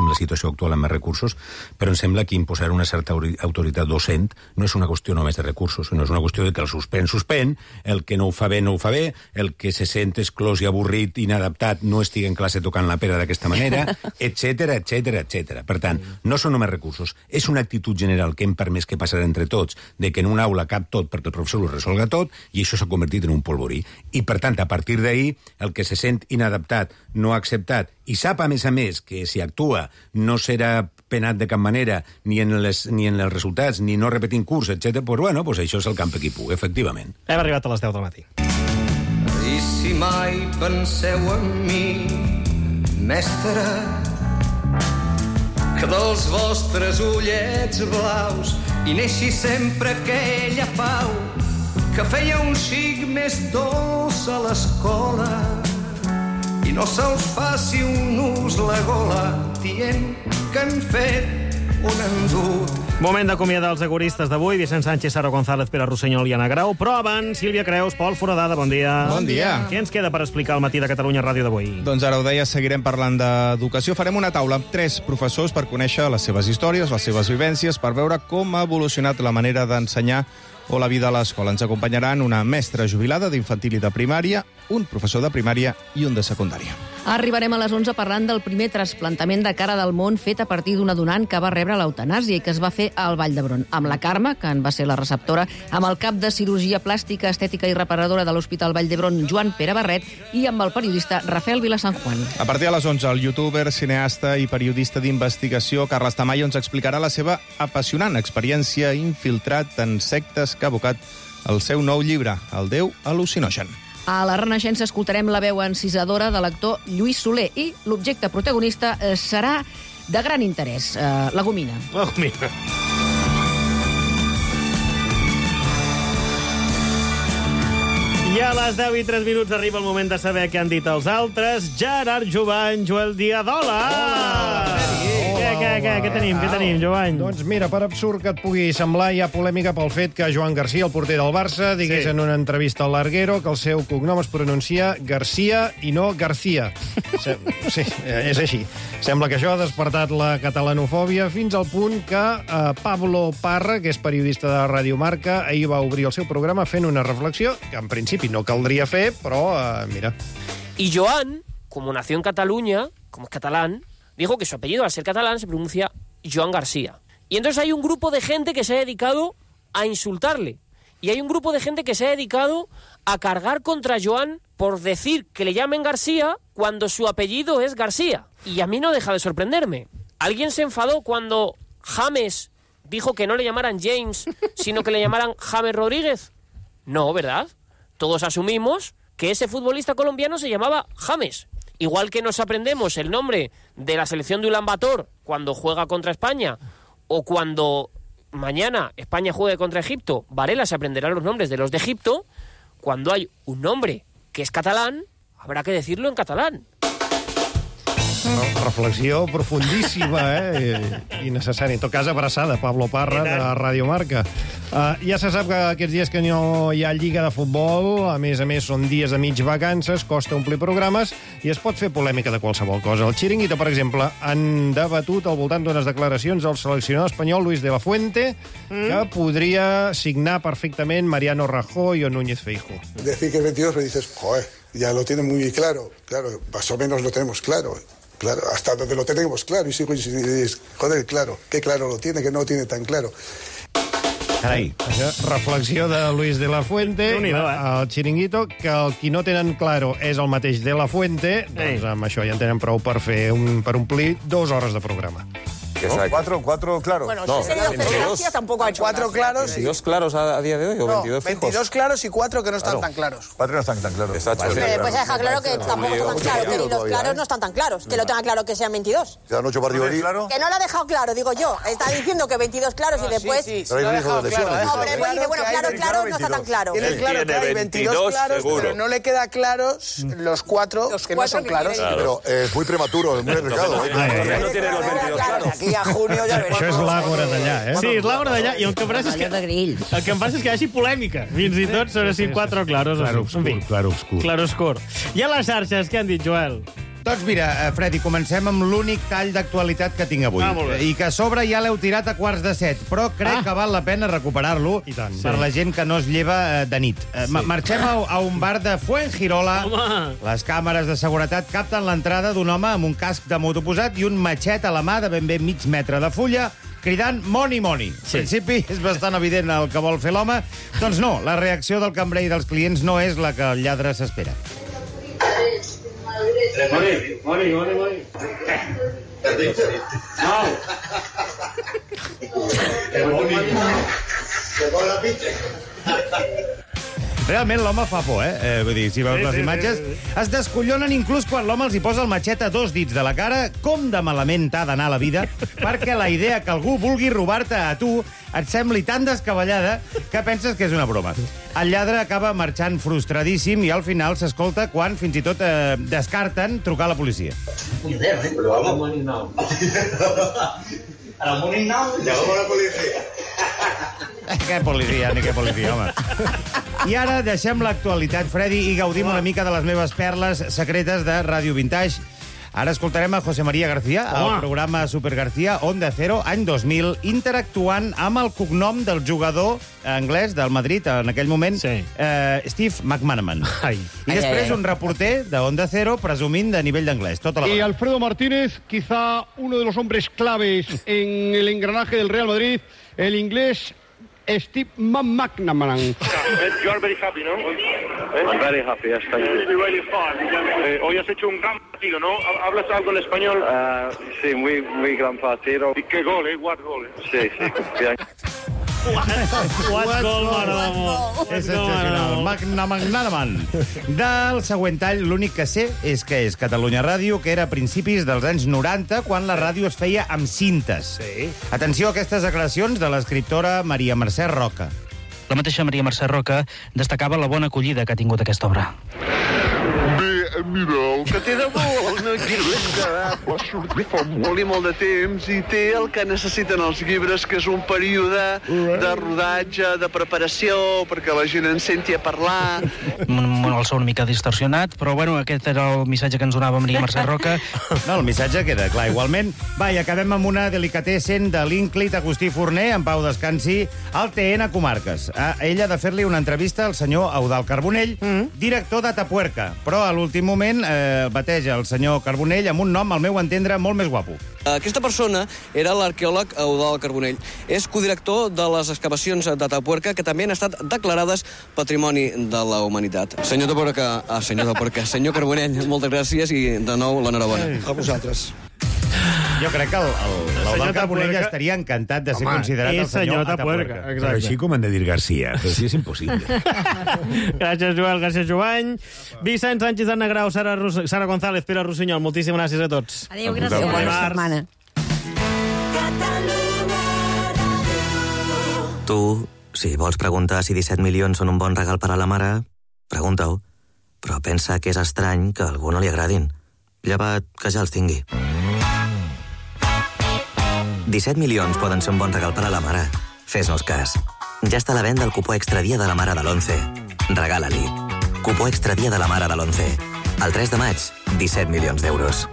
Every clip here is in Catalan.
la situació actual amb més recursos, però em sembla que imposar una certa autoritat docent no és una qüestió només de recursos, sinó és una qüestió de que el suspèn, el que no ho fa bé, no ho fa bé, el que se sent exclòs i avorrit, inadaptat, no estigui en classe tocant la pera d'aquesta manera, etc. Per tant, no són només recursos, és una actitud general que hem permès que passarà entre tots, de que en una aula cap tot perquè el professor ho resolga tot, i això s'ha convertit en un polvorí. I, per tant, a partir d'ahir, el que se sent inadaptat, no acceptat, i sap, a més, que si actua no serà penat de cap manera, ni en els resultats, ni no repetint curs, etc. Pues això és el camp equipú, efectivament. Hem arribat a les 10 del matí. I si mai penseu en mi, mestre, que dels vostres ullets blaus hi neixi sempre aquella pau que feia un xic més dolç a l'escola i no se'ls faci un ús la gola dient que han fet un endut. Moment d'acomiadar els agoristes d'avui. Vicent Sánchez, Sara González, Pere Rossinyol i Anna Grau. Però abans, Sílvia Creus, Pol Foradada, bon dia. Bon dia. Què ens queda per explicar al matí de Catalunya Ràdio d'avui? Doncs ara ho deia, seguirem parlant d'educació. Farem una taula amb 3 professors per conèixer les seves històries, les seves vivències, per veure com ha evolucionat la manera d'ensenyar o la vida a l'escola. Ens acompanyaran una mestra jubilada d'infantil i de primària, un professor de primària i un de secundària. Arribarem a les 11 parlant del primer trasplantament de cara del món fet a partir d'una donant que va rebre l'eutanàsia i que es va fer al Vall d'Hebron, amb la Carme, que en va ser la receptora, amb el cap de cirurgia plàstica, estètica i reparadora de l'Hospital Vall d'Hebron, Joan Pere Barret, i amb el periodista Rafael Vilasanjuan. A partir de les 11, el youtuber, cineasta i periodista d'investigació Carles Tamayo ens explicarà la seva apassionant experiència infiltrat en sectes que ha abocat el seu nou llibre, El Déu al·lucinogen. A la Renaixença escoltarem la veu encisadora de l'actor Lluís Soler i l'objecte protagonista serà de gran interès, la gomina. La gomina. I a les 10 i 3 minuts arriba el moment de saber què han dit els altres. Gerard Jovany, Joel Diadola! Hola! Què tenim, Jovany? Doncs mira, per absurd que et pugui semblar, hi ha polèmica pel fet que Joan Garcia, el porter del Barça, digués en una entrevista al Larguero que el seu cognom es pronuncia Garcia i no García. Sí, és així. Sembla que això ha despertat la catalanofòbia fins al punt que Pablo Parra, que és periodista de Radio Marca, ahir va obrir el seu programa fent una reflexió que en principi no caldria fer, però mira. Y Joan, como nació en Cataluña, como es catalán, dijo que su apellido, al ser catalán, se pronuncia Joan García. Y entonces hay un grupo de gente que se ha dedicado a insultarle. Y hay un grupo de gente que se ha dedicado a cargar contra Joan por decir que le llamen García cuando su apellido es García. Y a mí no deja de sorprenderme. ¿Alguien se enfadó cuando James dijo que no le llamaran James, sino que le llamaran James Rodríguez? No, ¿verdad? Todos asumimos que ese futbolista colombiano se llamaba James. Igual que nos aprendemos el nombre de la selección de Ulan Bator cuando juega contra España, o cuando mañana España juegue contra Egipto, Varela se aprenderá los nombres de los de Egipto. Cuando hay un nombre que es catalán, habrá que decirlo en catalán. Reflexió profundíssima, i necessària. En tot cas, abraçada, Pablo Parra, de Radio Marca. Ja se sap que aquests dies que no hi ha lliga de futbol, a més, són dies de mig vacances, costa omplir programes, i es pot fer polèmica de qualsevol cosa. El Chiringuito, per exemple, han debatut al voltant d'unes declaracions del seleccionador espanyol Luis de la Fuente, que podria signar perfectament Mariano Rajoy o Núñez Feijóo. Decir que el 22 me dices, joder, ya lo tienen muy claro, más o menos lo tenemos claro. Claro, hasta donde lo tenemos claro. Y sigo insistiendo, joder, claro. Qué claro lo tiene, que no lo tiene tan claro. Carai. Reflexió de Luis de la Fuente al Chiringuito, que el qui no tenen claro és el mateix de la Fuente, doncs amb això ja en tenen prou per omplir 2 hores de programa. ¿No? ¿Cuatro claros? Bueno, no, si sería Gracia tampoco ha hecho 4 claros. ¿22 claros a día de hoy o 22 fijos? 22 claros y 4 que no están tan claros. 4 no están tan claros. Exacto. Pues ha dejado claro que tampoco están tan claros, que ni los claros no están tan claros. Que lo tenga claro que sean 22. ¿Quedan 8 partidos ahí? Que no lo ha dejado claro, digo yo. Está diciendo que 22 claros y después... Pero hay riesgo de lesiones. No, pero después dice, bueno, claro, no está tan claro. Tiene claro que hay 22 claros, pero no le queda claros los 4 que no son claros. Pero es muy prematuro, es muy arriesgado. No tiene los 22 claros. Aquí a junio ya veremos. Això és l'àgora d'allà, Sí, és l'àgora d'allà, i el que em passa és que... El que em passa és que hi hagi polèmica, fins i tot sobre si 4 claros o 5. Clarobscur. Clarobscur. I a les xarxes, què han dit, Joel? Doncs mira, Freddy, comencem amb l'únic tall d'actualitat que tinc avui. I que a sobre ja l'heu tirat a 6:45, però crec que val la pena recuperar-lo per la gent que no es lleva de nit. Marxem a un bar de Fuengirola. Les càmeres de seguretat capten l'entrada d'un home amb un casc de moto posat i un matxet a la mà de ben bé mig metre de fulla, cridant money, money. Al principi és bastant evident el que vol fer l'home. Doncs no, la reacció del cambrer i dels clients no és la que el lladre s'espera. Money. Realment l'home fa por, Vull dir, si veus les imatges, es descollonen inclús quan l'home els hi posa el matxet a 2 dits de la cara. Com de malament t'ha d'anar la vida perquè la idea que algú vulgui robar-te a tu et sembli tan descabellada que penses que és una broma. El lladre acaba marxant frustradíssim i al final s'escolta quan fins i tot descarten trucar a la policia. Pero vamos. Money now. A la money now. Llamamos a la policia. Què policia, ni què policia, home. I ara deixem l'actualitat, Freddy, i gaudim una mica de les meves perles secretes de Ràdio Vintage. Ara escoltarem a José María García, al programa Super García, Onda Cero, any 2000, interactuant amb el cognom del jugador anglès del Madrid, en aquell moment, Steve McManaman. I després un reporter de Onda Cero presumint de nivell d'anglès. Y Alfredo Martínez, quizá uno de los hombres claves en el engranaje del Real Madrid, el inglés Steve McManaman. You are very happy, ¿no? I'm very happy, yes, thank you. Really fun. Hoy has hecho un gran partido, ¿no? ¿Hablas algo en español? Sí, muy gran partido. ¿Y qué gol, What gol, Sí, bien. What gol, mare d'amor. És sensacional. McManaman. Del següent tall, l'únic que sé és que és Catalunya Ràdio, que era a principis dels anys 90, quan la ràdio es feia amb cintes. Atenció a aquestes declaracions de l'escriptora Maria Mercè Roca. La mateixa Maria Mercè Roca destacava la bona acollida que ha tingut aquesta obra. Bé, mira, el que té de bo una llibre va sortir fa molt i molt de temps i té el que necessiten els llibres, que és un període de rodatge, de preparació, perquè la gent en senti a parlar. El so una mica distorsionat, però bueno, aquest era el missatge que ens donava Maria Mercè Roca. No, el missatge queda clar igualment. Va, i acabem amb una delicatessen de l'ínclit Agustí Forner, en pau descansi, al TN Comarques. Ell ha de fer-li una entrevista al senyor Eudald Carbonell, director de Tapuerca, però a l'últim moment bateja el senyor Carbonell amb un nom, al meu entendre, molt més guapo. Aquesta persona era l'arqueòleg Eudald Carbonell. És codirector de les excavacions de Tapuerca, que també han estat declarades Patrimoni de la Humanitat. Senyor Tapuerca, senyor Carbonell, moltes gràcies i de nou l'enhorabona. A vosaltres. Jo crec que l'Eudald Carbonell estaria encantat de ser considerat el senyor Tapuerca. Però així com han de dir García, però sí és impossible. Gràcies, Joel, gràcies, Jovany. Vicent Sánchez, Anna Grau, Sara González, Pere Rossinyol, moltíssimes gràcies a tots. Adéu, gràcies. Bona setmana. Tu, si vols preguntar si 17 milions són un bon regal per a la mare, pregunta-ho. Però pensa que és estrany que a algú no li agradin. Llevat que ja els tingui. 17 milions poden ser un bon regal per a la mare. Fes-nos cas. Ja està a la venda el cupó extra dia de la mare de l'11. Regala-li. Cupó extra dia de la mare de l'11. El 3 de maig, 17 milions d'euros.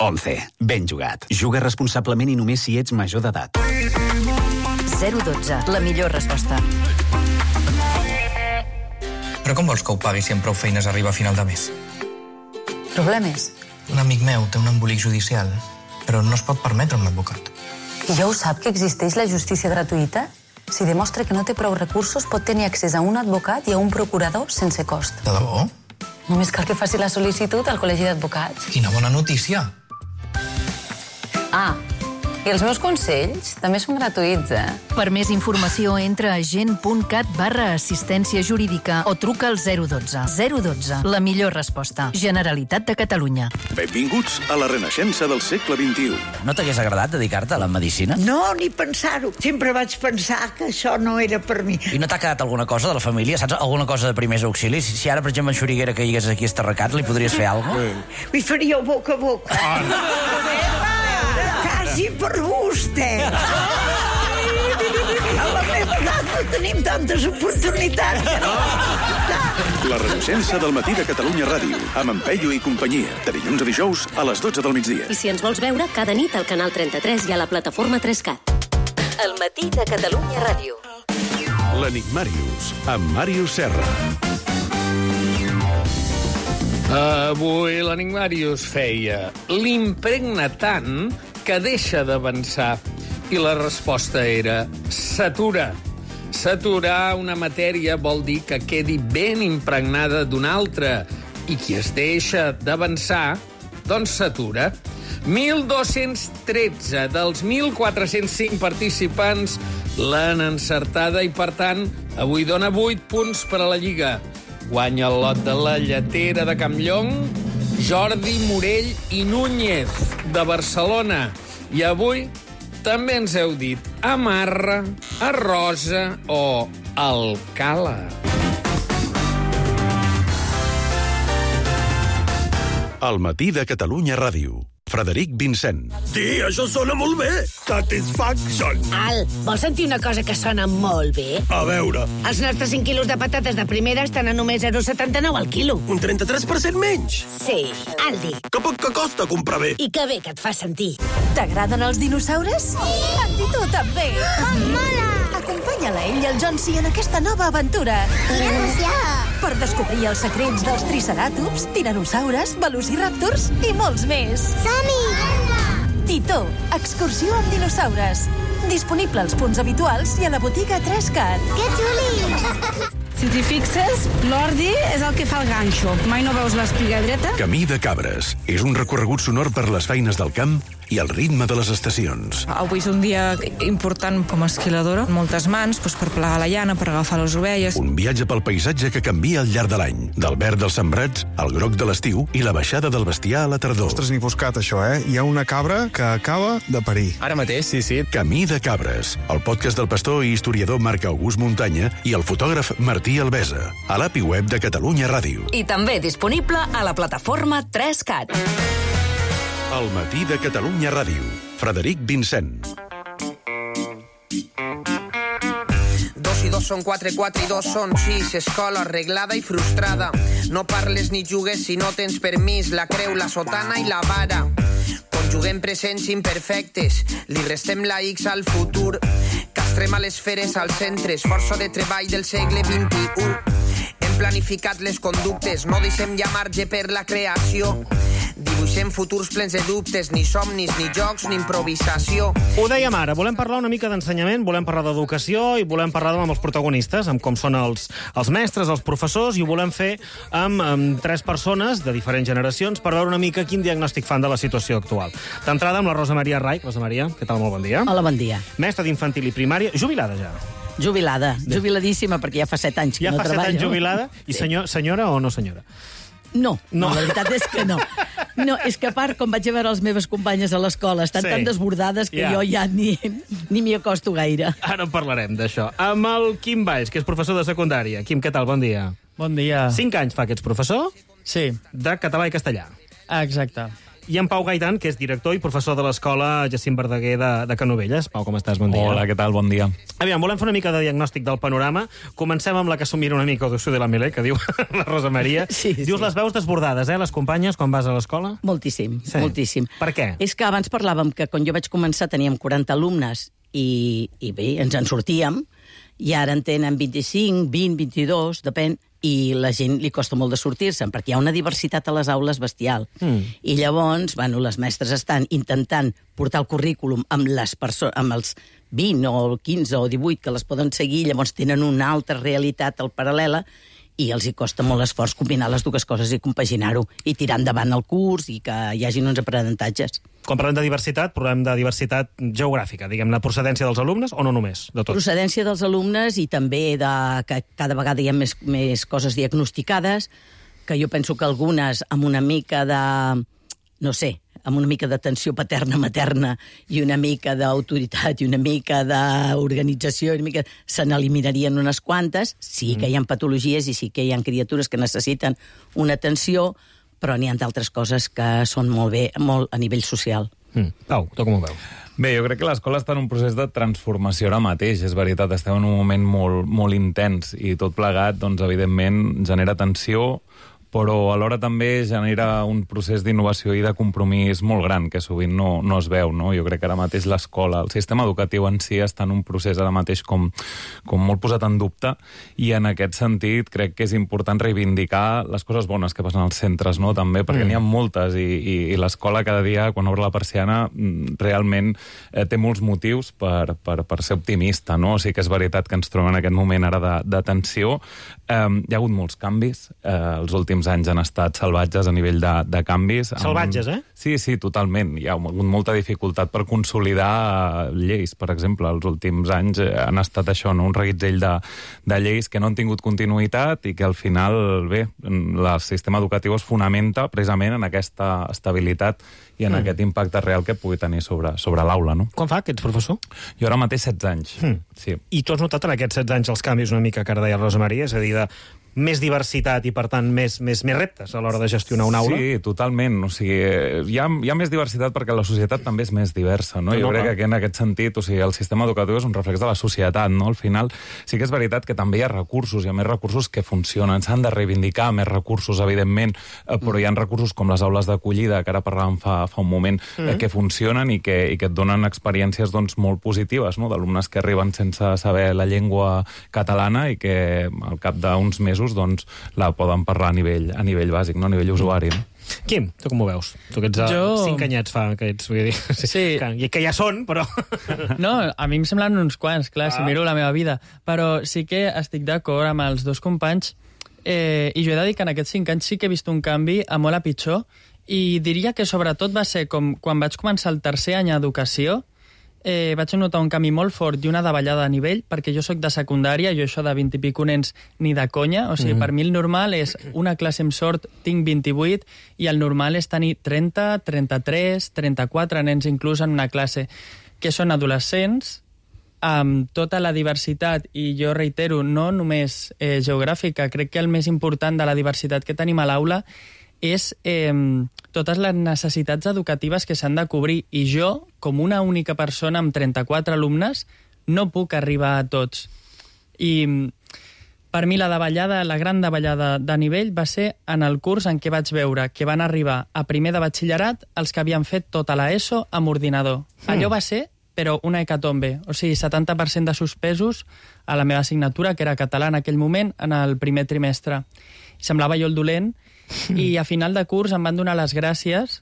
11. Ben jugat. Juga responsablement i només si ets major d'edat. 012. La millor resposta. Però com vols que ho pagui si amb prou feines arriba a final de mes? Problemes? Un amic meu té un embolic judicial, però no es pot permetre un advocat. I ja ho sap que existeix la justícia gratuïta? Si demostra que no té prou recursos, pot tenir accés a un advocat i a un procurador sense cost. De debò? Només cal que faci la sol·licitud al Col·legi d'Advocats. Quina bona notícia! I els meus consells també són gratuïts, Per més informació, entra a gent.cat/assistència jurídica o truca al 012. 012, la millor resposta. Generalitat de Catalunya. Benvinguts a la renaixença del segle XXI. No t'hagués agradat dedicar-te a la medicina? No, ni pensar-ho. Sempre vaig pensar que això no era per mi. I no t'ha quedat alguna cosa de la família? Saps? Alguna cosa de primers auxilis? Si ara, per exemple, en Xuriguera que hagués aquí estarracat, li podries fer alguna cosa? Li faríeu boca a boca. Quasi per vostè. A la meva edat no tenim tantes oportunitats. La Renaixença del matí de Catalunya Ràdio, amb en Peyu i companyia, de dilluns a dijous a les 12 del migdia. I si ens vols veure, cada nit al canal 33 i a la plataforma 3CAT. El matí de Catalunya Ràdio. L'Enigmàrius, amb Màrius Serra. Avui l'Enigmàrius feia l'impregna tant que deixa d'avançar. I la resposta era s'atura. S'aturar una matèria vol dir que quedi ben impregnada d'una altra. I qui es deixa d'avançar, doncs s'atura. 1.213 dels 1.405 participants l'han encertada i, per tant, avui dona 8 punts per a la Lliga. Guanya el lot de la Lletera de Campllong, Jordi Morell i Núñez, de Barcelona. I avui també ens heu dit Amarra, Arrosa o Alcala. El matí de Catalunya Ràdio. Frederic Vincent. Sí, això sona molt bé. Satisfaction. Al, vols sentir una cosa que sona molt bé? A veure. Els nostres 5 quilos de patates de primera estan a només 0,79 al quilo. Un 33% menys? Sí, Aldi. Que poc que costa comprar bé. I que bé que et fa sentir. T'agraden els dinosaures? Sí! A tu també! Mola! Acompanya-la ell i el Jonsi en aquesta nova aventura. Emoció! Per descobrir els secrets dels triceratops, tiranosaures, velociraptors i molts més. Som-hi! Titó, excursió amb dinosaures. Disponible als punts habituals i a la botiga 3CAT. Que xuli! Si t'hi fixes, l'ordi és el que fa el ganxo. Mai no veus l'espiga dreta? Camí de Cabres. És un recorregut sonor per les feines del camp i el ritme de les estacions. Avui és un dia important com a esquiladora. Moltes mans per plegar la llana, per agafar les ovelles. Un viatge pel paisatge que canvia al llarg de l'any. Del verd dels sembrats al groc de l'estiu i la baixada del bestiar a la tardor. Ostres, ni buscat, això, Hi ha una cabra que acaba de parir. Ara mateix, sí. Camí de Cabres, el podcast del pastor i historiador Marc August Muntanya i el fotògraf Martí Albesa, a l'API web de Catalunya Ràdio. I també disponible a la plataforma 3CAT. El matí de Catalunya Ràdio. Frederic Vincent. 2 i 2 són 4, 4 i 2 són 6. Escola arreglada i frustrada. No parles ni jugues si no tens permís. La creu, la sotana i la vara. Conjuguem presents imperfectes. Li restem la X al futur. Castrem a les feres als centres. Força de treball del segle XXI. Hem planificat les conductes. No deixem ja marge per la creació. Dibuixem futurs plens de dubtes, ni somnis, ni jocs, ni improvisació. Ho dèiem ara, volem parlar una mica d'ensenyament, volem parlar d'educació i volem parlar amb els protagonistes, amb com són els mestres, els professors, i ho volem fer amb 3 persones de diferents generacions per veure una mica quin diagnòstic fan de la situació actual. D'entrada amb la Rosa Maria Rai. Rosa Maria, què tal? Molt bon dia. Hola, bon dia. Mestra d'infantil i primària, jubilada ja. Jubiladíssima, perquè ja fa 7 anys que no treballo. Ja fa 7 anys jubilada. I senyora o no senyora? No, la veritat és que no. No, és que a part, com vaig a veure les meves companyes a l'escola, estan tan desbordades que jo ja ni m'hi acosto gaire. Ara parlarem d'això. Amb el Quim Valls, que és professor de secundària. Quim, què tal? Bon dia. Bon dia. 5 anys fa que ets professor? Sí. De català i castellà. Exacte. I en Pau Gaitan, que és director i professor de l'escola Jacint Verdaguer de Canovelles. Pau, com estàs? Bon dia. Hola, què tal? Bon dia. Aviam, volem fer una mica de diagnòstic del panorama. Comencem amb la que s'ho mira una mica de la Milé, que diu la Rosa Maria. Dius les veus desbordades, les companyes, quan vas a l'escola? Moltíssim, moltíssim. Per què? És que abans parlàvem que quan jo vaig començar teníem 40 alumnes i bé, ens en sortíem, i ara en tenen 25, 20, 22, depèn, i la gent li costa molt de sortir-se'n, perquè hi ha una diversitat a les aules bestial. I llavors, les mestres estan intentant portar el currículum amb els 20 o 15 o 18 que les poden seguir, llavors tenen una altra realitat al paral·lela, i els hi costa molt esforç combinar les dues coses i compaginar-ho, i tirar endavant el curs i que hi hagin uns aprenentatges. Quan parlem de diversitat, parlem de diversitat geogràfica, diguem, la procedència dels alumnes o no només? De tot? Procedència dels alumnes i també que cada vegada hi ha més coses diagnosticades, que jo penso que algunes amb una mica de, no sé, amb una mica d'atenció paterna-materna i una mica d'autoritat i una mica d'organització, se n'eliminarien unes quantes. Sí que hi ha patologies i sí que hi ha criatures que necessiten una atenció, però n'hi ha d'altres coses que són molt bé, molt a nivell social. Pau, tu com ho veus? Bé, jo crec que l'escola està en un procés de transformació ara mateix, és veritat, estem en un moment molt intens i tot plegat, doncs, evidentment, genera tensió, però alhora també genera un procés d'innovació i de compromís molt gran, que sovint no es veu, no? Jo crec que ara mateix l'escola, el sistema educatiu en si està en un procés ara mateix com molt posat en dubte, i en aquest sentit crec que és important reivindicar les coses bones que passen als centres, no? També, perquè n'hi ha moltes, i l'escola cada dia, quan obre la persiana, realment té molts motius per ser optimista, no? O sigui que és veritat que ens trobem en aquest moment ara de tensió. Hi ha hagut molts canvis, els últims anys han estat salvatges a nivell de canvis. Salvatges, eh? Sí, totalment. Hi ha hagut molta dificultat per consolidar lleis, per exemple. Els últims anys han estat això, no? Un reguitzell de lleis que no han tingut continuïtat i que al final, bé, el sistema educatiu es fonamenta precisament en aquesta estabilitat i en aquest impacte real que pugui tenir sobre l'aula, no? Quan fa que ets professor? Jo ara mateix 16 anys. Sí. I tu has notat en aquests 16 anys els canvis una mica que ara deia Rosa Maria? És a dir, de més diversitat i, per tant, més reptes a l'hora de gestionar una aula? Sí, totalment. O sigui, hi ha més diversitat perquè la societat també és més diversa, no? Jo crec que en aquest sentit, o sigui, el sistema educatiu és un reflex de la societat, no? Al final, sí que és veritat que també hi ha recursos, hi ha més recursos que funcionen. S'han de reivindicar més recursos, evidentment, però hi ha recursos com les aules d'acollida, que ara parlàvem fa un moment, que funcionen i que et donen experiències doncs, molt positives, no? D'alumnes que arriben sense saber la llengua catalana i que al cap d'uns mesos doncs, la poden parlar a nivell bàsic, no? A nivell usuari. No? Quim, tu com ho veus? Tu que ets 5 anyets fa que ets, vull dir, sí. Que ja són, però... No, a mi em semblen uns quants, clar, si miro la meva vida, però sí que estic d'acord amb els dos companys, i jo he de dir que en aquests 5 anys sí que he vist un canvi a molt a pitjor, i diria que sobretot va ser com quan vaig començar el tercer any d'educació, vaig notar un canvi molt fort i una davallada a nivell, perquè jo sóc de secundària, jo això de 20 i pico nens ni de conya, o sigui, per mi el normal és una classe amb sort, tinc 28, i el normal és tenir 30, 33, 34 nens inclús en una classe, que són adolescents, amb tota la diversitat, i jo reitero, no només geogràfica, crec que el més important de la diversitat que tenim a l'aula és totes les necessitats educatives que s'han de cobrir. I jo, com una única persona amb 34 alumnes, no puc arribar a tots. I per mi la gran davallada de nivell va ser en el curs en què vaig veure que van arribar a primer de batxillerat els que havien fet tota l'ESO amb ordinador. Allò va ser, però una hecatombe. O sigui, 70% de suspesos a la meva assignatura, que era català en aquell moment, en el primer trimestre. I semblava jo el dolent, i a final de curs em van donar les gràcies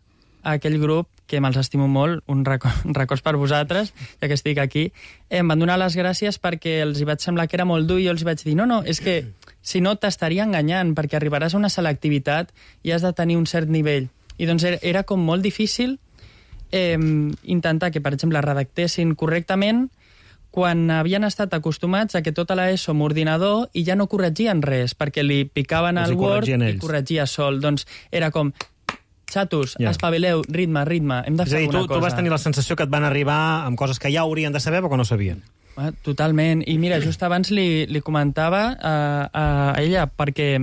a aquell grup, que me'ls estimo molt, un records per vosaltres, ja que estic aquí, em van donar les gràcies perquè els hi vaig semblar que era molt dur, i jo els vaig dir, no, és que si no t'estaria enganyant, perquè arribaràs a una selectivitat i has de tenir un cert nivell. I doncs era com molt difícil intentar que, per exemple, redactessin correctament quan havien estat acostumats a que tota l'ESO amb ordinador i ja no corregien res, perquè li picaven al Word i corregia sol. Doncs era com, xatos, espavileu, ritme, hem de fer alguna cosa. Tu vas tenir la sensació que et van arribar amb coses que ja haurien de saber però que no sabien. Totalment. I mira, just abans li comentava a ella, perquè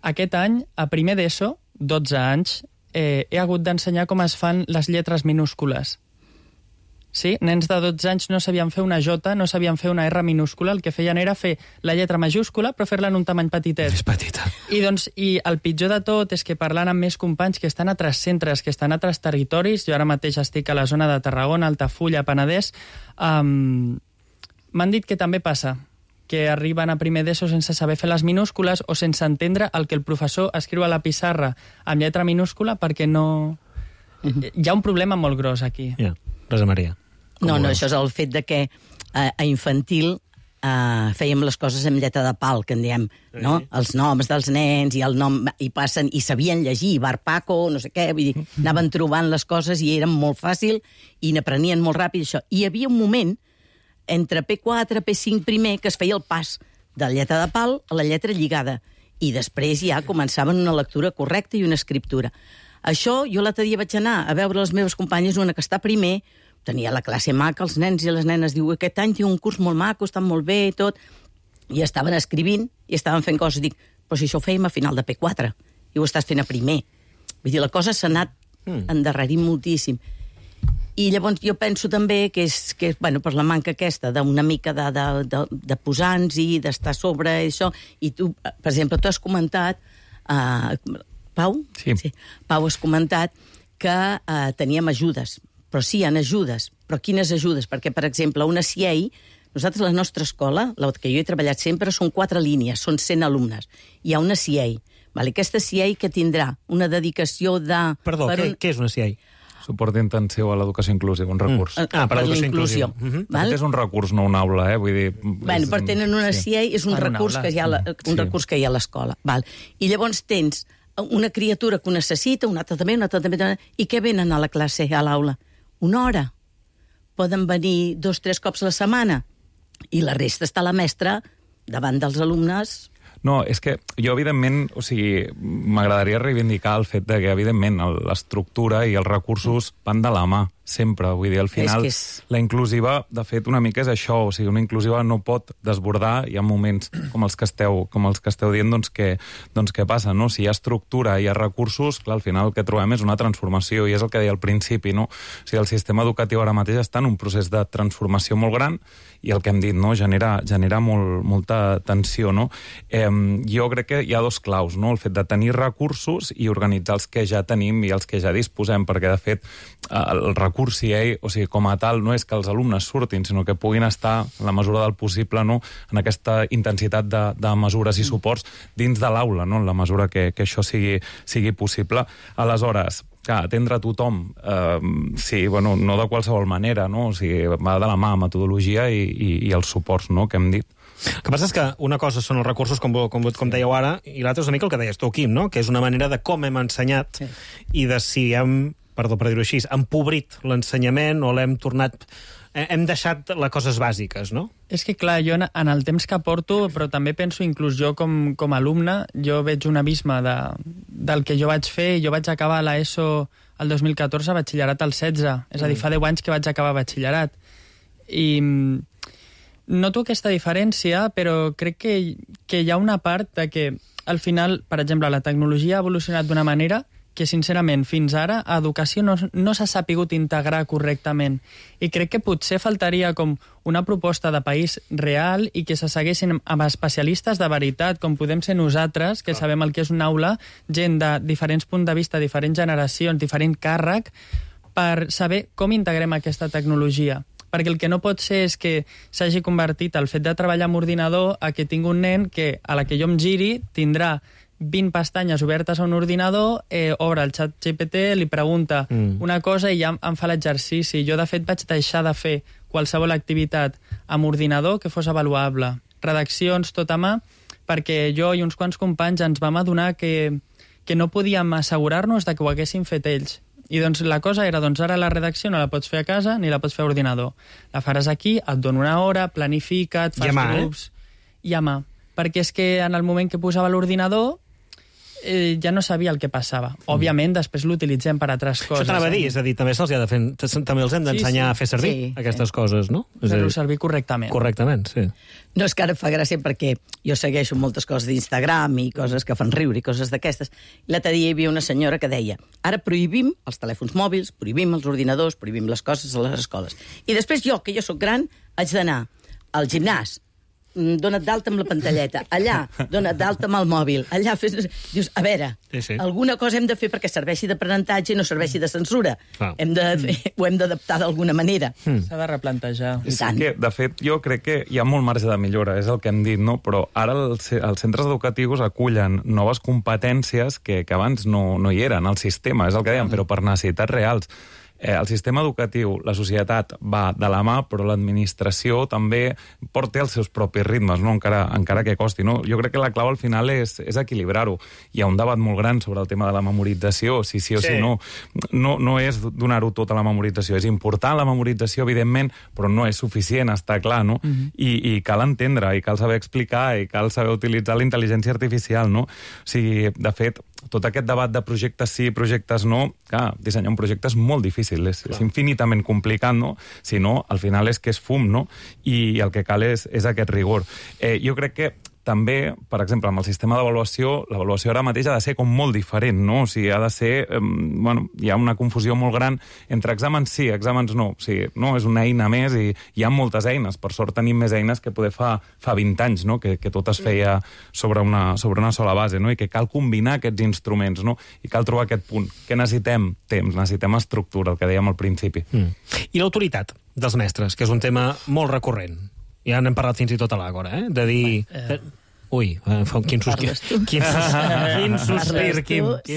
aquest any, a primer d'ESO, 12 anys, he hagut d'ensenyar com es fan les lletres minúscules. Sí, nens de 12 anys no sabien fer una J, no sabien fer una R minúscula, el que feien era fer la lletra majúscula, però fer-la en un tamany petitet. És petita. I el pitjor de tot és que parlant amb més companys que estan a altres centres, que estan a altres territoris, jo ara mateix estic a la zona de Tarragona, Altafulla, Penedès, m'han dit que també passa, que arriben a primer d'ESO sense saber fer les minúscules o sense entendre el que el professor escriu a la pissarra amb lletra minúscula, perquè no... Hi ha un problema molt gros aquí. Rosa Maria. No, això és el fet de que a infantil fèiem les coses amb lletra de pal, que en diem, no? Els noms dels nens i el nom, i passen, i sabien llegir, Bar Paco, no sé què, vull dir, anaven trobant les coses i eren molt fàcil i n'aprenien molt ràpid això. I hi havia un moment entre P4, P5 primer, que es feia el pas de la lletra de pal a la lletra lligada, i després ja començaven una lectura correcta i una escriptura. Això, jo l'altre dia vaig anar a veure les meves companyes, una que està primer, tenia la classe maca, els nens i les nenes, diu, aquest any tinc un curs molt maco, estan molt bé i tot, i estaven escrivint i estaven fent coses. Dic, però si això ho fèiem a final de P4 i ho estàs fent a primer. Vull dir, la cosa s'ha anat endarrerint moltíssim. I llavors jo penso també que és bueno, per la manca aquesta d'una mica de posar-nos-hi, d'estar sobre això, i tu, per exemple, tu has comentat, Pau? Sí. Pau, has comentat que teníem ajudes, però sí, hi ha ajudes, però quines ajudes? Perquè, per exemple, una CIEI, nosaltres, la nostra escola, la que jo he treballat sempre, són 4 línies, són 100 alumnes. Hi ha una CIEI. Aquesta CIEI que tindrà una dedicació de... Perdó, què és una CIEI? Suport intensiu a l'educació inclusiva, un recurs. Per l'educació inclusiva. És un recurs, no una aula, vull dir... Bueno, però tenen una CIEI, és un recurs que hi ha a l'escola. I llavors tens una criatura que ho necessita, una altra també, i què venen a la classe, a l'aula? Una hora. Poden venir 2 o 3 cops a la setmana. I la resta està la mestra davant dels alumnes... No, és que jo, evidentment, m'agradaria reivindicar el fet que, evidentment, l'estructura i els recursos van de la mà, sempre. Vull dir, al final, la inclusiva, de fet, una mica és això. Una inclusiva no pot desbordar. Hi ha moments com els que esteu dient, doncs què passa, no? Si hi ha estructura i hi ha recursos, clar, al final el que trobem és una transformació, i és el que deia al principi, no? El sistema educatiu ara mateix està en un procés de transformació molt gran, i el que hem dit, no? Genera molta tensió, no? Jo crec que hi ha 2 claus, no? El fet de tenir recursos i organitzar els que ja tenim i els que ja disposem, perquè, de fet, el recurs CIEI, com a tal, no és que els alumnes surtin, sinó que puguin estar, en la mesura del possible, no? En aquesta intensitat de mesures i suports dins de l'aula, no? En la mesura que això sigui possible. Aleshores, atendre a tothom, no de qualsevol manera, no? Va de la mà, metodologia i els suports, no?, que hem dit. El que passa és que una cosa són els recursos, com dèieu ara, i l'altra és una mica el que deies tu, Quim, no? Que és una manera de com hem ensenyat i de si hem, perdó per dir-ho així, empobrit l'ensenyament o l'hem tornat... Hem deixat les coses bàsiques, no? És que, clar, jo en el temps que porto, però també penso, inclús jo com a alumne, jo veig un abisme del que jo vaig fer. Jo vaig acabar l'ESO el 2014, batxillerat el 16. És a dir, fa 10 anys que vaig acabar batxillerat. I noto aquesta diferència, però crec que hi ha una part de que, al final, per exemple, la tecnologia ha evolucionat d'una manera que, sincerament, fins ara, a educació no s'ha sapigut integrar correctament. I crec que potser faltaria com una proposta de país real i que se seguessin amb especialistes de veritat, com podem ser nosaltres, que sabem el que és una aula, gent de diferents punts de vista, diferents generacions, diferent càrrec, per saber com integrem aquesta tecnologia. Perquè el que no pot ser és que s'hagi convertit el fet de treballar amb ordinador a que tingui un nen que, a la que jo em giri, tindrà 20 pestanyes obertes a un ordinador, obre el xat GPT, li pregunta una cosa i ja em fa l'exercici. Jo, de fet, vaig deixar de fer qualsevol activitat amb ordinador que fos avaluable. Redaccions tot a mà, perquè jo i uns quants companys ens vam adonar que no podíem assegurar-nos de que ho haguessin fet ells. I doncs la cosa era, ara la redacció no la pots fer a casa ni la pots fer a ordinador. La faràs aquí, et dono una hora, planifica't, fas grups... I a mà. Perquè és que en el moment que posava l'ordinador ja no sabia el que passava. Òbviament, després l'utilitzem per altres coses. Això t'anava a dir, és a dir, també també els hem d'ensenyar a fer servir aquestes coses, no? Fer-ho servir correctament. Correctament, sí. No, és que ara fa gràcia perquè jo segueixo moltes coses d'Instagram i coses que fan riure i coses d'aquestes. L'altre dia hi havia una senyora que deia ara prohibim els telèfons mòbils, prohibim els ordinadors, prohibim les coses a les escoles. I després jo, que jo sóc gran, haig d'anar al gimnàs, dona't d'alta amb la pantalleta, allà, dona't d'alta amb el mòbil, allà fes... Dius, a veure, alguna cosa hem de fer perquè serveixi d'aprenentatge i no serveixi de censura. Ho hem d'adaptar d'alguna manera. S'ha de replantejar. És que, de fet, jo crec que hi ha molt marge de millora, és el que hem dit, no? Però ara els centres educatius acullen noves competències que abans no hi eren al sistema, és el que dèiem, però per necessitats reals. El sistema educatiu, la societat va de la mà, però l'administració també té els seus propis ritmes, no? encara que costi. No? Jo crec que la clau al final és equilibrar-ho. Hi ha un debat molt gran sobre el tema de la memorització, si sí o si no. No és donar-ho tot a la memorització. És important la memorització, evidentment, però no és suficient, està clar, no? I cal entendre, i cal saber explicar, i cal saber utilitzar la intel·ligència artificial, no? O sigui, de fet, tot aquest debat de projectes sí, projectes no, clar, dissenyar un projecte és molt difícil, és infinitament complicat, no? Si no, al final és que és fum, no? I el que cal és aquest rigor. Jo crec que també, per exemple, amb el sistema d'avaluació, l'avaluació ara mateix ha de ser com molt diferent, no? O sigui, ha de ser... hi ha una confusió molt gran entre exàmens sí, exàmens no. O sigui, no, és una eina més i hi ha moltes eines. Per sort tenim més eines que poder fa 20 anys, no? Que tot es feia sobre una sola base, no? I que cal combinar aquests instruments, no? I cal trobar aquest punt. Què necessitem? Temps, necessitem estructura, el que dèiem al principi. I l'autoritat dels mestres, que és un tema molt recurrent. Ja n'hem parlat fins i tot a l'Àgora, de dir... Ui, quin sospir. Quin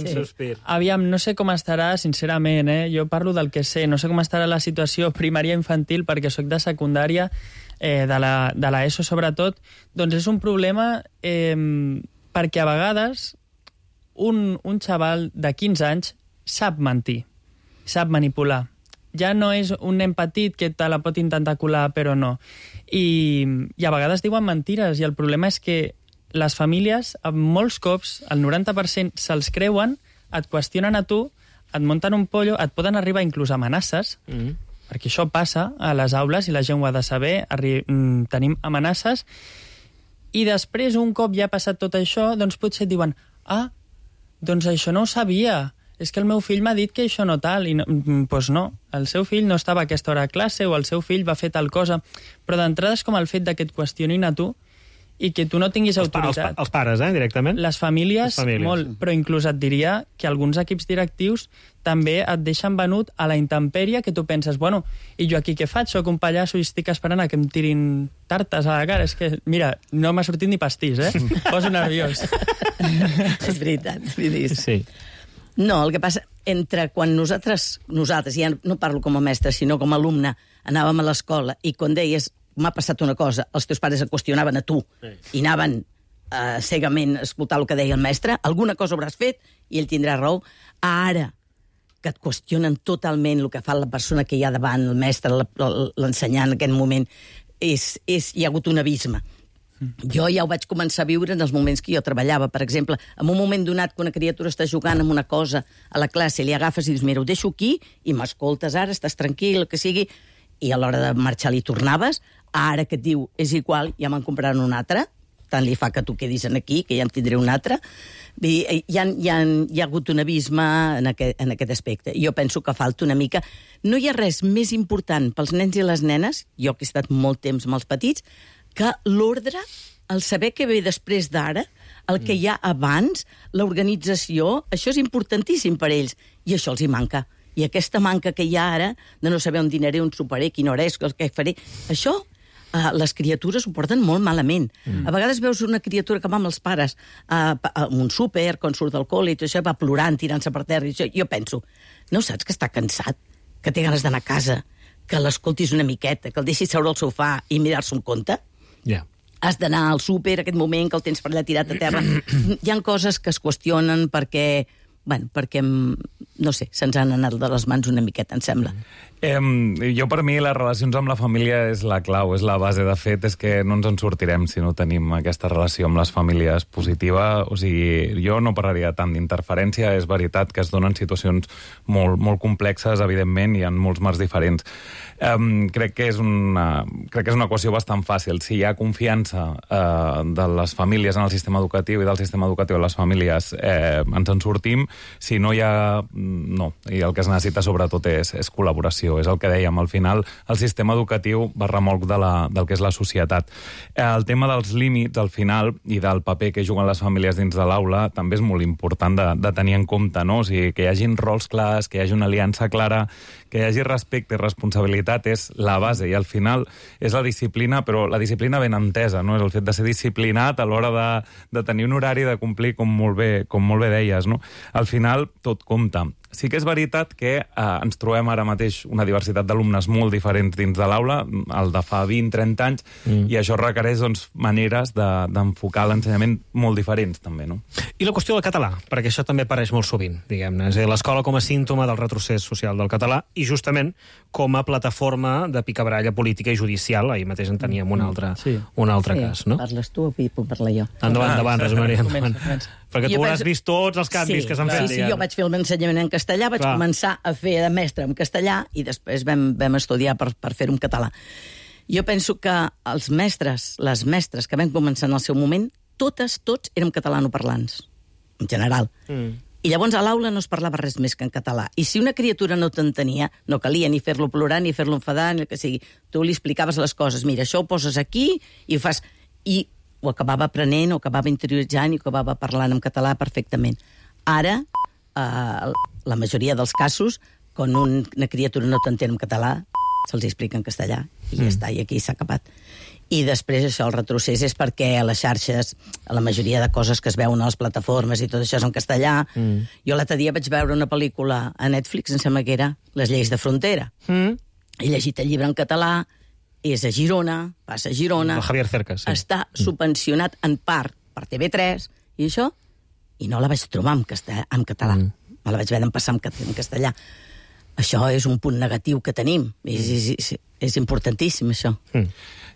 sospir. Aviam, no sé com estarà, sincerament, jo parlo del que sé, no sé com estarà la situació primària infantil perquè sóc de secundària, de la ESO sobretot, doncs és un problema perquè a vegades un xaval de 15 anys sap mentir, sap manipular. Ja no és un nen petit que te la pot intentar colar, però no. I a vegades diuen mentires, i el problema és que les famílies, molts cops, el 90% se'ls creuen, et qüestionen a tu, et munten un pollo, et poden arribar inclús amenaces, perquè això passa a les aules i la gent ho ha de saber, tenim amenaces, i després, un cop ja ha passat tot això, doncs potser et diuen doncs això no ho sabia, és que el meu fill m'ha dit que això no tal, i doncs no, el seu fill no estava a aquesta hora a classe o el seu fill va fer tal cosa, però d'entrada és com el fet que et qüestionin a tu i que tu no tinguis autoritat. Els pares, directament? Les famílies, molt, però inclús et diria que alguns equips directius també et deixen venut a la intempèrie, que tu penses, bueno, i jo aquí què faig? Soc un pallasso i estic esperant a que em tirin tartes a la cara. És que, mira, no m'ha sortit ni pastís, Poso nerviós. És veritat, sí. No, el que passa, entre quan nosaltres, ja no parlo com a mestre, sinó com a alumne, anàvem a l'escola i quan deies m'ha passat una cosa, els teus pares et qüestionaven a tu i anaven cegament a escoltar el que deia el mestre, alguna cosa hauràs fet i ell tindrà raó. Ara, que et qüestionen totalment el que fa la persona que hi ha davant, el mestre, l'ensenyant en aquest moment, hi ha hagut un abisme. Jo ja ho vaig començar a viure en els moments que jo treballava. Per exemple, en un moment donat que una criatura està jugant amb una cosa a la classe, li agafes i dius, mira, ho deixo aquí i m'escoltes ara, estàs tranquil, el que sigui, i a l'hora de marxar li tornaves. Ara que et diu, és igual, ja me'n compraran un altre, tant li fa que tu quedis aquí, que ja en tindré un altre. Hi ha hagut un abisme en aquest aspecte. Jo penso que falta una mica... No hi ha res més important pels nens i les nenes, jo que he estat molt temps amb els petits, que l'ordre, el saber què ve després d'ara, el que hi ha abans, l'organització, això és importantíssim per ells, i això els hi manca. I aquesta manca que hi ha ara, de no saber on dinaré, on soparé, quina hora és, què faré, això les criatures ho porten molt malament. A vegades veus una criatura que va amb els pares a un súper, quan surt del col·le, i tot això va plorant, tirant-se per terra, i això. Jo penso, no saps que està cansat, que té ganes d'anar a casa, que l'escoltis una miqueta, que el deixis seure al sofà i mirar-se un conte? Has d'anar al súper, aquest moment que el tens per allà tirat a terra. Hi ha coses que es qüestionen perquè, no sé, se'ns han anat de les mans una miqueta, em sembla. Jo, per mi, les relacions amb la família és la clau, és la base. De fet, és que no ens en sortirem si no tenim aquesta relació amb les famílies positiva. O sigui, jo no parlaria tant d'interferència. És veritat que es donen situacions molt complexes, evidentment, i en molts marcs diferents. Crec que és una equació bastant fàcil. Si hi ha confiança de les famílies en el sistema educatiu i del sistema educatiu en les famílies, ens en sortim. Si no hi ha... No. I el que es necessita, sobretot, és col·laboració. És el que dèiem, al final el sistema educatiu va remolc del que és la societat. El tema dels límits, al final, i del paper que juguen les famílies dins de l'aula, també és molt important de tenir en compte, no? O sigui, que hi hagin rols clars, que hi hagi una aliança clara, que hi hagi respecte i responsabilitat és la base, i al final és la disciplina, però la disciplina ben entesa, no? És el fet de ser disciplinat a l'hora de tenir un horari, de complir, com molt bé deies, no? Al final, tot compta. Sí que és veritat que ens trobem ara mateix una diversitat d'alumnes molt diferents dins de l'aula, el de fa 20-30 anys, i això requereix maneres d'enfocar l'ensenyament molt diferents, també, no? I la qüestió del català, perquè això també apareix molt sovint, diguem-ne. És a dir, l'escola com a símptoma del retrocés social del català i justament com a plataforma de picabaralla política i judicial. Ahir mateix en teníem un altre cas, no? Parles tu o puc parlar jo? Endavant, Rosa Maria, endavant. Perquè tu has vist tots els canvis que s'han fet. Sí, jo vaig fer l'ensenyament en castellà, vaig començar a fer de mestre en castellà i després vam estudiar per fer-ho en català. Jo penso que els mestres, les mestres que vam començar en el seu moment, tots érem catalanoparlants, en general. I llavors a l'aula no es parlava res més que en català. I si una criatura no t'entenia, no calia ni fer-lo plorar, ni fer-lo enfadar, ni el que sigui. Tu li explicaves les coses. Mira, això ho poses aquí i ho fas... I ho acabava aprenent, ho acabava interioritzant i ho acabava parlant en català perfectament. Ara, la majoria dels casos, quan una criatura no t'entén en català, se'ls explica en castellà i ja està, i aquí s'ha acabat. I després això, el retrocés, és perquè a les xarxes, a la majoria de coses que es veuen a les plataformes i tot això és en castellà. Jo l'altre dia vaig veure una pel·lícula a Netflix, em sembla que era Les lleis de frontera. He llegit el llibre en català, és a Girona, passa a Girona... El Javier Cercas, sí. Està subvencionat en part per TV3 i això, i no la vaig trobar en català. Me la vaig haver d'empassar en castellà. Això és un punt negatiu que tenim. És importantíssim, això.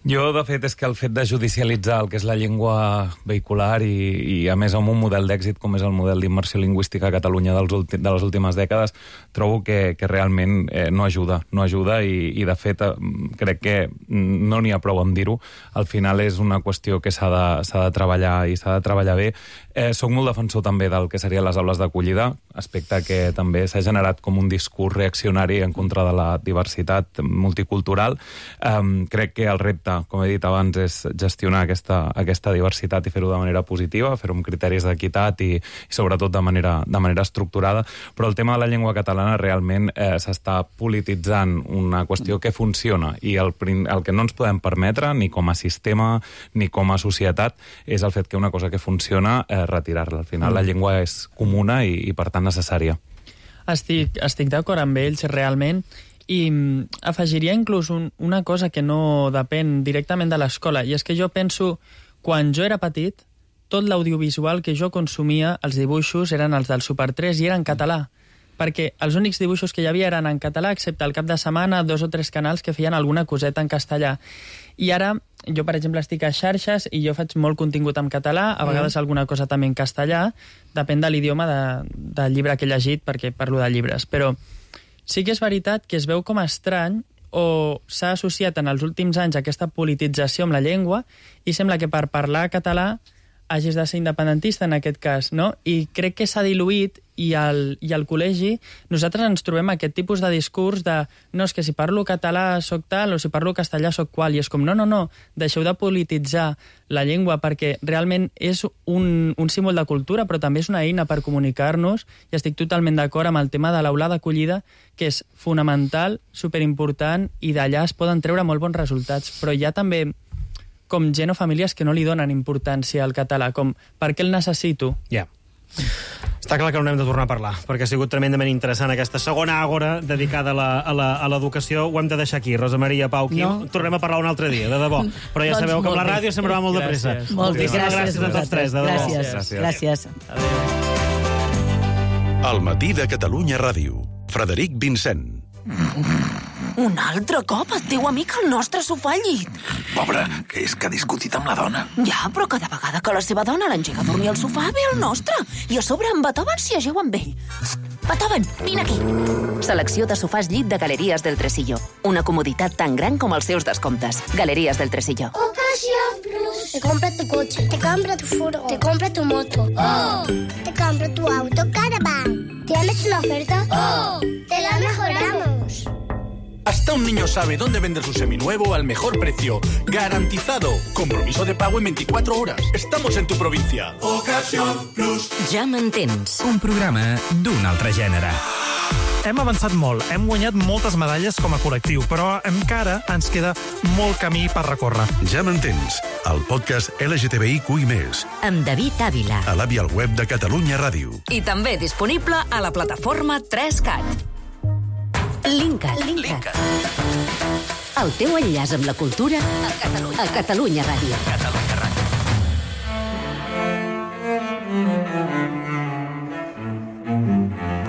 Jo, de fet, és que el fet de judicialitzar el que és la llengua vehicular i a més, amb un model d'èxit com és el model d'immersió lingüística a Catalunya de les últimes dècades, trobo que realment no ajuda i de fet, crec que no n'hi ha prou en dir-ho. Al final és una qüestió que s'ha de treballar i s'ha de treballar bé. Soc molt defensor també del que serien les aules d'acollida, aspecte que també s'ha generat com un discurs reaccionari en contra de la diversitat multicultural. Crec que el repte, com he dit abans, és gestionar aquesta diversitat i fer-ho de manera positiva, fer-ho amb criteris d'equitat i sobretot de manera estructurada. Però el tema de la llengua catalana realment s'està polititzant una qüestió que funciona i el que no ens podem permetre, ni com a sistema ni com a societat, és el fet que una cosa que funciona retirar-la. Al final la llengua és comuna i per tant necessària. Estic d'acord amb ells, realment, i afegiria inclús una cosa que no depèn directament de l'escola, i és que jo penso, quan jo era petit, tot l'audiovisual que jo consumia, els dibuixos, eren els del Super 3 i eren en català, perquè els únics dibuixos que hi havia eren en català, excepte al cap de setmana 2 o 3 canals que feien alguna coseta en castellà. I ara, jo, per exemple, estic a xarxes i jo faig molt contingut en català, a vegades alguna cosa també en castellà, depèn de l'idioma del llibre que he llegit, perquè parlo de llibres, però sí que és veritat que es veu com estrany o s'ha associat en els últims anys aquesta politització amb la llengua i sembla que per parlar català hagis de ser independentista en aquest cas, no? I crec que s'ha diluït i al col·legi nosaltres ens trobem aquest tipus de discurs de no, és que si parlo català soc tal o si parlo castellà soc qual, i és com no, deixeu de polititzar la llengua perquè realment és un símbol de cultura però també és una eina per comunicar-nos i estic totalment d'acord amb el tema de l'aula d'acollida que és fonamental, superimportant i d'allà es poden treure molt bons resultats, però hi ha també com gent o famílies que no li donen importància al català, com per què el necessito? Ja. Està clar que no n'hem de tornar a parlar, perquè ha sigut tremendament interessant aquesta segona àgora dedicada a l'educació. Ho hem de deixar aquí. Rosa Maria, Pau, Quim, tornem a parlar un altre dia, de debò. Però ja sabeu que amb la ràdio sempre va molt de pressa. Moltíssimes gràcies a tots tres, de debò. Gràcies. El matí de Catalunya Ràdio. Frederic Vincent. Un altre cop el teu amic al nostre sofà al llit. Pobre, que és que ha discutit amb la dona. Ja, però cada vegada que la seva dona l'engega a dormir al sofà ve el nostre. I a sobre en Beethoven s'hi ajeu amb ell. Beethoven, vine aquí. Selecció de sofàs llit de Galeries del Tresillo. Una comoditat tan gran com els seus descomptes. Galeries del Tresillo. Ocasión Plus. Te compra tu coche, te compra tu furgo, te compra tu moto. ¡Oh! Te compra tu auto Caravan. ¿Tienes una oferta? ¡Oh! ¡Te la mejoramos! Hasta un niño sabe dónde vender su seminuevo al mejor precio. Garantizado. Compromiso de pago en 24 horas. Estamos en tu provincia. Ocasión Plus. Ja m'entens. Un programa d'un altre gènere. Hem avançat molt, hem guanyat moltes medalles com a col·lectiu, però encara ens queda molt camí per recórrer. Ja m'entens, el podcast LGTBIQI+. Amb David Ávila. A l'app i al web de Catalunya Ràdio. I també disponible a la plataforma 3CAT. Linkat. El teu enllaç amb la cultura a Catalunya Ràdio.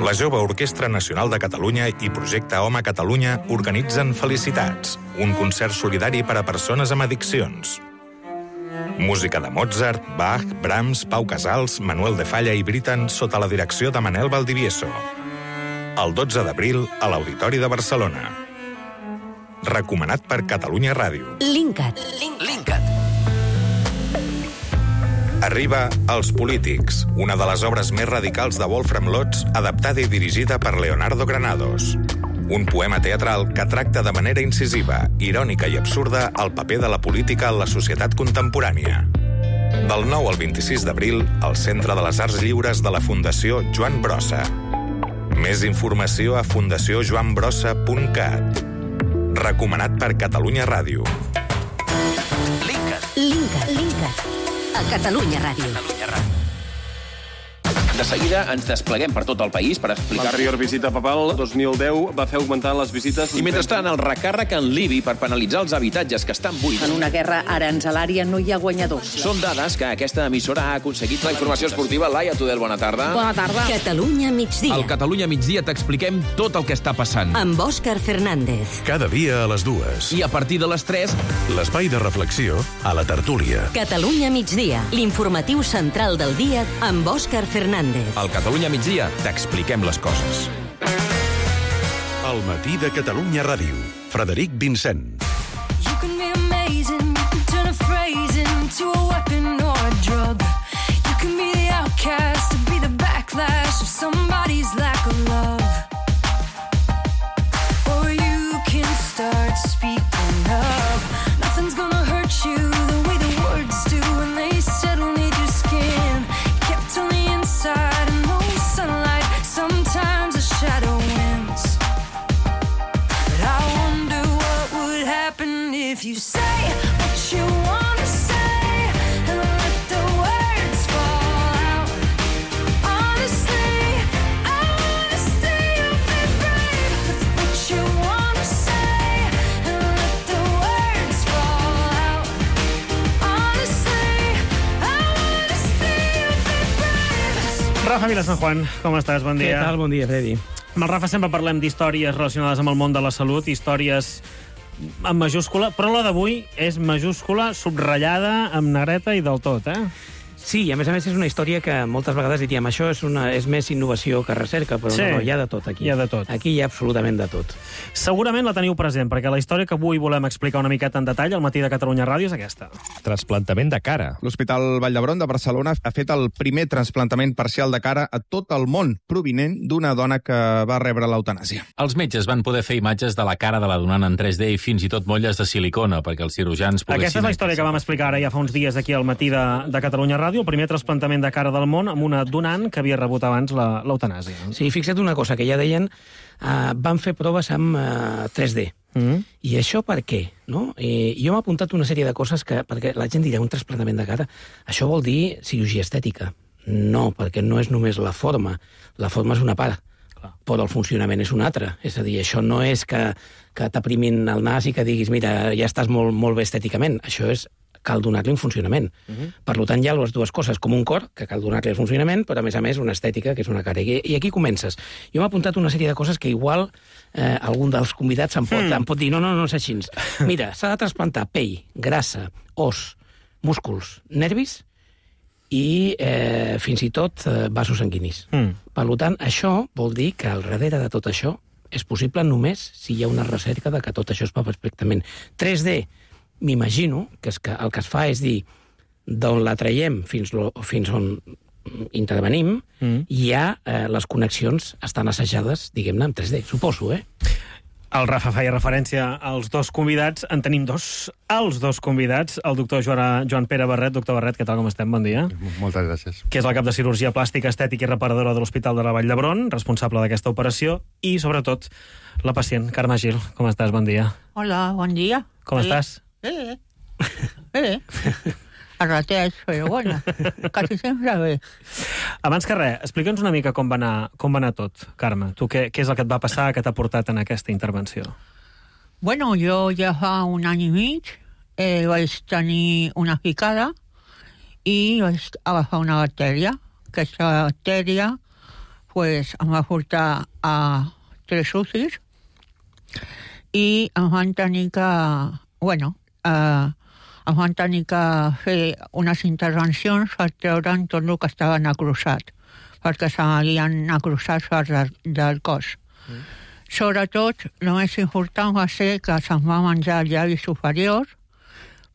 La Jove Orquestra Nacional de Catalunya i Projecte Home Catalunya organitzen Felicitats, un concert solidari per a persones amb addiccions. Música de Mozart, Bach, Brahms, Pau Casals, Manuel de Falla i Britten sota la direcció de Manel Valdivieso. El 12 d'abril a l'Auditori de Barcelona. recomanat per Catalunya Ràdio. Linkat. Arriba Els polítics, una de les obres més radicals de Wolfram Lotz, adaptada i dirigida per Leonardo Granados. Un poema teatral que tracta de manera incisiva, irònica i absurda el paper de la política en la societat contemporània. Del 9 al 26 d'abril, al Centre de les Arts Lliures de la Fundació Joan Brossa. Més informació a fundaciojoanbrossa.cat. Recomanat per Catalunya Ràdio. Linkat. A Catalunya Ràdio. De seguida ens despleguem per tot el país per explicar... L'anterior visita papal, 2010, va fer augmentar les visites... I mentrestant, el recàrrec en l'IBI per penalitzar els habitatges que estan buits. En una guerra aranzelària no hi ha guanyadors. Són dades que aquesta emissora ha aconseguit. La informació esportiva, Laia Tudel, bona tarda. Bona tarda. Catalunya migdia. Al Catalunya migdia t'expliquem tot el que està passant. Amb Òscar Fernández. Cada dia a les 2. I a partir de les 3... L'espai de reflexió a la tertúlia. Catalunya migdia. L'informatiu central del dia amb Òscar Fernández. Al Catalunya migdia t'expliquem les coses. El matí de Catalunya Ràdio. Frederic Vincent. You can be amazing, you can turn a phrase into a weapon or a drug. You can be the outcast, to be the backlash of somebody's lack of love. Or you can start speaking up. Nothing's gonna hurt you the way the words do when they settle near your skin. Kept on the inside. Sometimes a shadow wins. But I wonder what would happen if you say what you want to say and let the words fall out. Honestly, I want to see you be brave with what you want to say and let the words fall out. Honestly, I want to see you be brave. Rafa Vila San Juan, com estàs? Bon dia. Què tal? Bon dia, Freddy. Amb el Rafa sempre parlem d'històries relacionades amb el món de la salut, històries en majúscula, però la d'avui és majúscula, subratllada, amb negreta i del tot, Sí, i a més és una història que moltes vegades diríem això és més innovació que recerca, però sí, no, hi ha de tot aquí. Hi ha de tot. Aquí hi ha absolutament de tot. Segurament la teniu present, perquè la història que avui volem explicar una miqueta en detall al matí de Catalunya Ràdio és aquesta. Transplantament de cara. L'Hospital Vall d'Hebron de Barcelona ha fet el primer transplantament parcial de cara a tot el món, provinent d'una dona que va rebre l'eutanàsia. Els metges van poder fer imatges de la cara de la donant en 3D i fins i tot molles de silicona, perquè els cirurgians poguessin... Aquesta és la història que vam explicar ara ja fa uns dies aquí al matí de Catalunya Ràdio, el primer transplantament de cara del món amb una donant que havia rebut abans l'eutanàsia. Sí, fixa't una cosa, que ja deien, van fer proves amb 3D. I això per què? No? Jo m'he apuntat una sèrie de coses perquè la gent dirà un trasplantament de cara. Això vol dir cirurgia estètica. No, perquè no és només la forma. La forma és una part, però el funcionament és una altra. És a dir, això no és que t'aprimin el nas i que diguis, mira, ja estàs molt bé estèticament. Això és cal donar-li un funcionament. Per tant, hi ha les dues coses, com un cor, que cal donar-li el funcionament, però a més una estètica, que és una cara. I aquí comences. Jo m'he apuntat una sèrie de coses que igual algun dels convidats em pot dir, no és així. Mira, s'ha de trasplantar pell, grassa, os, músculs, nervis i fins i tot vasos sanguinis. Per tant, això vol dir que al darrere de tot això és possible només si hi ha una recerca de que tot això es fa perfectament. 3D, m'imagino que el que es fa és dir d'on la traiem fins on intervenim, ja les connexions estan assajades, diguem-ne, en 3D, suposo, El Rafa feia referència als dos convidats. En tenim dos. Els dos convidats. El doctor Joan Pere Barret. Doctor Barret, què tal, com estem? Bon dia. Moltes gràcies. Que és el cap de cirurgia plàstica, estètica i reparadora de l'Hospital de la Vall d'Hebron, responsable d'aquesta operació, i, sobretot, la pacient, Carme Gil. Com estàs? Bon dia. Hola, bon dia. Com estàs? Bé. A ratets, però bueno, quasi sempre bé. Abans que res, explica'ns una mica com va anar tot, Carme. Tu què és el que et va passar, que t'ha portat en aquesta intervenció? Bueno, jo ja fa un any i mig vaig tenir una picada i vaig agafar una bactèria. Aquesta bactèria pues, em va portar a 3 UCIs i em van tenir que... em van tenir que fer unes intervencions per treure'n tot el que estava necrosat, perquè se m'havien necrosat parts del cos. Sobretot, el més important va ser que se'm va menjar el llavi superior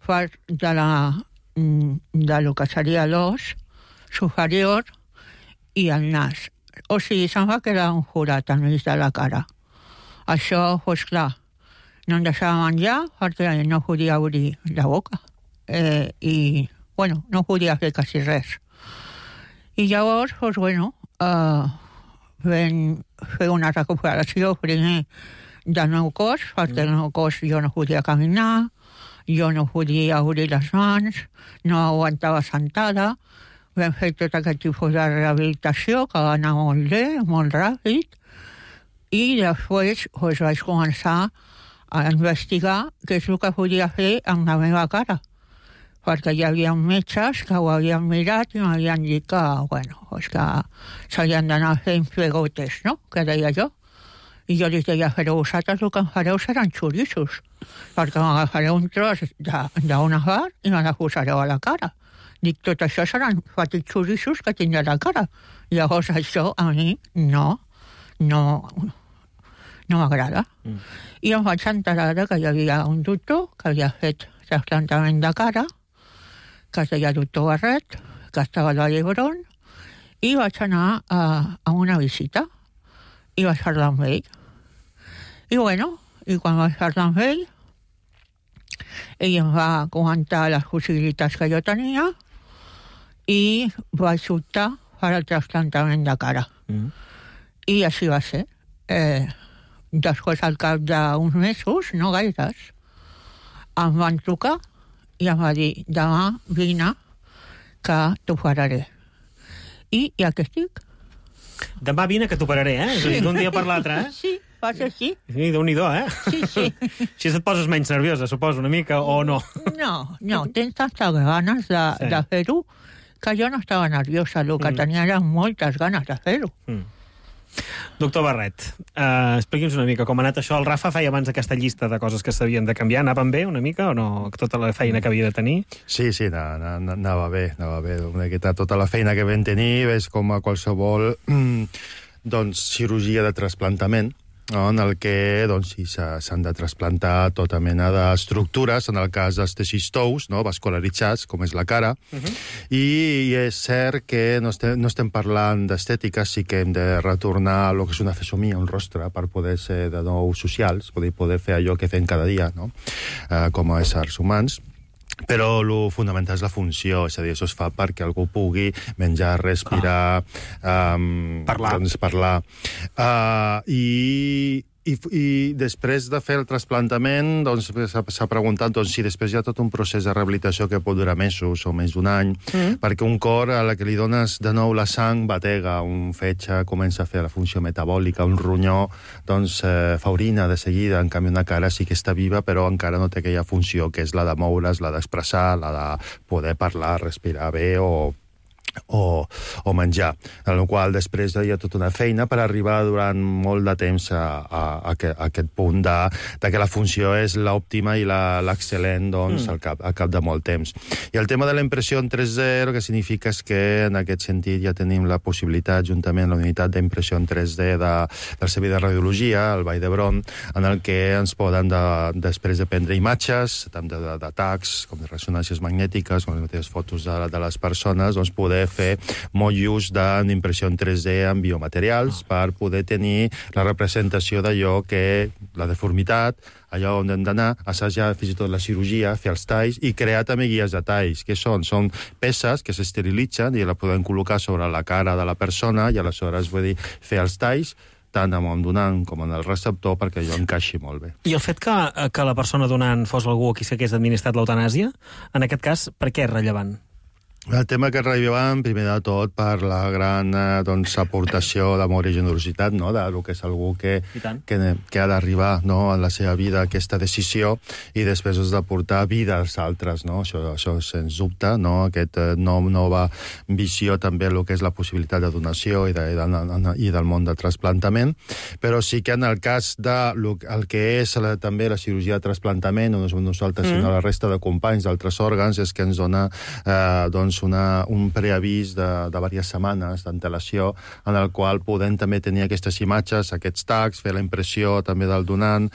de lo que seria l'os superior i el nas. O sigui, se'm va quedar un forat al mig de la cara. Això, doncs clar, no em deixava menjar perquè no podia obrir la boca. I, bueno, no podia fer quasi res. I llavors, doncs, bueno, vam fer una recuperació primer del meu cos, perquè el meu cos jo no podia caminar, jo no podia obrir les mans, no aguantava sentada. Vam fer tot aquest tipus de rehabilitació, que va anar molt bé, molt ràpid, i després doncs, vaig començar a investigar què és el que podia fer amb la meva cara, perquè hi havia metges que ho havien mirat i m'havien dit que, bueno, doncs que s'havien d'anar fent pegotes, no?, que deia jo. I jo li deia, però vosaltres el que em fareu seran xorissos, perquè m'agafareu un tros d'una part i me la posareu a la cara. Dic, tot això seran petits xorissos que tindré a la cara. Llavors això a mi no m'agrada. I em vaig enterar que hi havia un doctor que havia fet trasplantament de cara, que es deia doctor Barret, que estava a la Llebron, i vaig anar a una visita i vaig parlar amb ell. I bueno, i quan vaig parlar amb ell em va comentar les possibilitats que jo tenia i vaig optar per al trasplantament de cara. I així va ser. Després, al cap d'uns mesos, no gaires, em van trucar i em va dir, demà vine que t'operaré. I aquí estic. Demà vine que t'operaré, eh? És a dir, d'un dia per l'altre, eh? Sí, va ser així. Sí, Déu-n'hi-do, eh? Sí. Així et poses menys nerviosa, suposo, una mica, o no? No, tens tantes ganes de fer-ho que jo no estava nerviosa, el que tenia eren moltes ganes de fer-ho. Doctor Barret, expliqui'ns una mica com ha anat això. El Rafa feia abans aquesta llista de coses que s'havien de canviar. Anaven bé una mica o no? Tota la feina que havia de tenir? Sí, anava bé. Una miqueta tota la feina que vam tenir és com a qualsevol cirurgia de trasplantament, no? En el que sí, s'han de trasplantar tota mena d'estructures, en el cas dels teixits tous, no? Vascularitzats, com és la cara, i és cert que no estem parlant d'estètica, sí que hem de retornar el que és una fesomia, un rostre, per poder ser de nou socials, poder fer allò que fem cada dia, no? Com a éssers humans. Però el fonamental és la funció, és a dir, això es fa perquè algú pugui menjar, respirar, parlar. I després de fer el trasplantament s'ha preguntat si després hi ha tot un procés de rehabilitació que pot durar mesos o més d'un any, perquè un cor a la que li dones de nou la sang batega, un fetge comença a fer la funció metabòlica, un ronyó fa orina de seguida, en canvi una cara sí que està viva però encara no té aquella funció que és la de moure's, la d'expressar, la de poder parlar, respirar bé o menjar, en la qual després hi ha tota una feina per arribar durant molt de temps a aquest punt de que la funció és l'òptima i l'excel·lent al cap de molt temps. I el tema de la impressió en 3D, el que significa és que en aquest sentit ja tenim la possibilitat, juntament amb la unitat d'impressió en 3D del Servei de Radiologia, el Vall d'Hebron, en el que ens poden, després de prendre imatges, tant d'atacs com de ressonàncies magnètiques, com les mateixes fotos de les persones, poder fer molt ús d'impressió en 3D en biomaterials per poder tenir la representació d'allò que la deformitat, allò on hem d'anar, assajar fins i tot la cirurgia, fer els talls i crear també guies de talls, que són peces que s'esterilitzen i la podem col·locar sobre la cara de la persona i aleshores fer els talls tant amb el donant com en el receptor perquè allò encaixi molt bé. I el fet que la persona donant fos algú a qui s'hagués administrat l'eutanàsia, en aquest cas, per què és rellevant? El tema que és rellevant, primer de tot, per la gran aportació d'amor i generositat, no? Del que és algú que ha d'arribar en la seva vida a aquesta decisió i després has de portar vida als altres, no? Això sens dubte, no? Aquesta nova visió també el que és la possibilitat de donació i del món de trasplantament, però sí que en el cas del que és també la cirurgia de trasplantament, no som nosaltres sinó la resta de companys d'altres òrgans, és que ens dona doncs, un preavís de diverses setmanes d'antelació en el qual podem també tenir aquestes imatges, aquests tags, fer la impressió també del donant,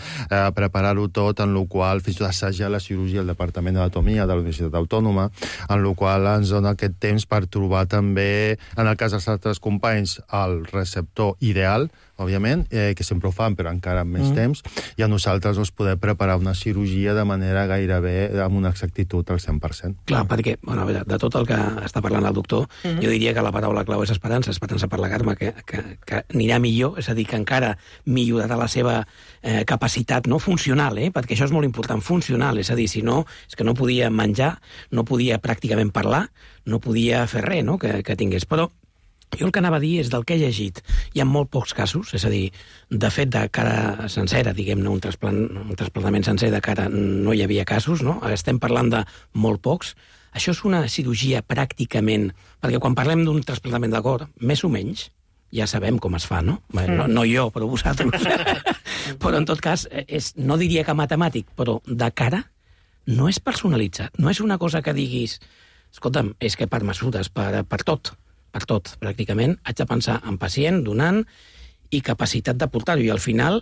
preparar-ho tot, en el qual fins i tot assajar la cirurgia al Departament d'Anatomia de la Universitat Autònoma, en el qual ens dona aquest temps per trobar també, en el cas dels altres companys, el receptor ideal, òbviament, que sempre ho fan, però encara amb més temps, i a nosaltres ens podem preparar una cirurgia de manera gairebé amb una exactitud al 100%. Clar, perquè, bueno, a veure, de tot el que està parlant el doctor, jo diria que la paraula clau és esperança per la Carme, que anirà millor, és a dir, que encara millorarà la seva capacitat no funcional, perquè això és molt important, funcional, és a dir, si no, és que no podia menjar, no podia pràcticament parlar, no podia fer res, no?, que tingués. Però jo el que anava a dir és del que he llegit. Hi ha molt pocs casos, és a dir, de fet, de cara sencera, diguem-ne, un trasplantament sencer de cara no hi havia casos, no? Estem parlant de molt pocs. Això és una cirurgia pràcticament, perquè quan parlem d'un trasplantament de cor, més o menys, ja sabem com es fa, no? No jo, però vosaltres. Però, en tot cas, no diria que matemàtic, però de cara no és personalitzat. No és una cosa que diguis, escolta'm, és que per mesures, per tot, pràcticament, haig de pensar en pacient, donant i capacitat de portar-ho. I al final,